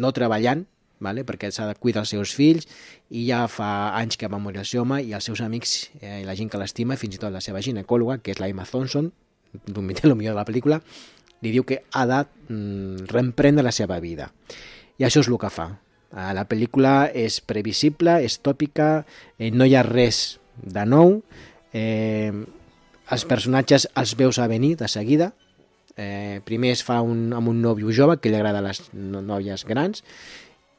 no treballant, vale? Perquè s'ha de cuidar els seus fills, i ja fa anys que va morir el seu home, i els seus amics i la gent que l'estima, fins i tot la seva ginecòloga, que és la Emma Thompson, el millor de la pel·lícula, li diu que ha de reemprendre la seva vida. I això és el que fa. La pel·lícula és previsible, és tòpica, no hi ha res de nou, els personatges els veus a venir de seguida. Primer es fa amb un nòvio jove que li agrada a les noies grans,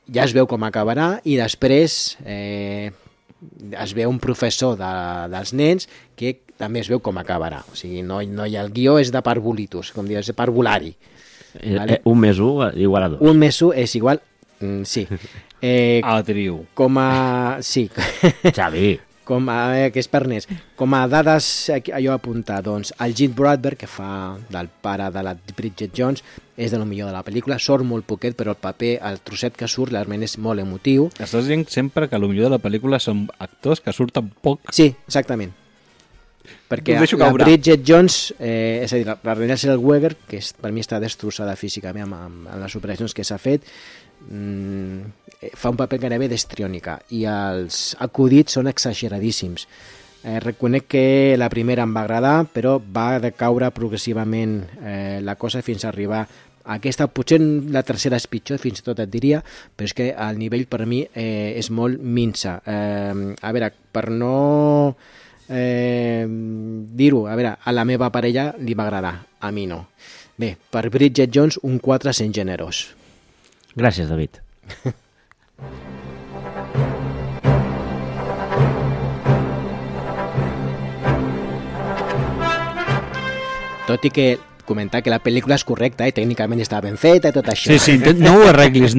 ja es veu com acabarà, i després es veu un professor dels nens que també es veu com acabarà. O sigui, no hi ha el guió, és de parvulitus, com dius, de parvulari. Vale? 1 més 1 igual a 2. 1 més 1 és igual... sí. Atriu. Sí. Xavi. Que és per nens. Com a dades allò a apuntar, doncs, el Gene Bradbury, que fa del pare de la Bridget Jones, és de lo millor de la pel·lícula, sort molt poquet, però el paper, el trosset que surt, realment és molt emotiu. Estàs dient sempre que el millor de la pel·lícula són actors que surten poc. Sí, exactament. Perquè la Bridget Jones, és a dir, la Renée Zellweger, que per mi està destrossada físicament amb les operacions que s'ha fet, fa un paper gairebé d'histriònica, i els acudits són exageradíssims. Reconec que la primera em va agradar, però va decaure progressivament la cosa fins a arribar a aquesta. Potser la tercera és pitjor, fins i tot et diria, però és que el nivell per mi és molt minsa. A veure, per no dir-ho, a veure, a la meva parella li va agradar, a mi no. Bé, per Bridget Jones, un 4 sent generós. Gràcies, David. Tot i que comentar que la pel·lícula és correcta, tècnicament està ben feta i tot això. Sí, no ho arreglis,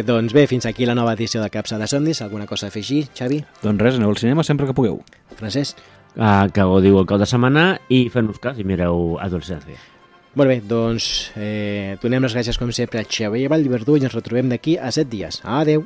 Doncs bé, fins aquí la nova edició de Capsa de Somnis. Alguna cosa a afegir, Xavi? Doncs res, aneu al cinema sempre que pugueu. Francesc? Que gaudiu el cap de setmana i fem-nos cas i mireu Adolescència. Molt bé, doncs donem les gràcies com sempre a Xavier Vallverdú i ens retrobem d'aquí a 7 dies. Adeu!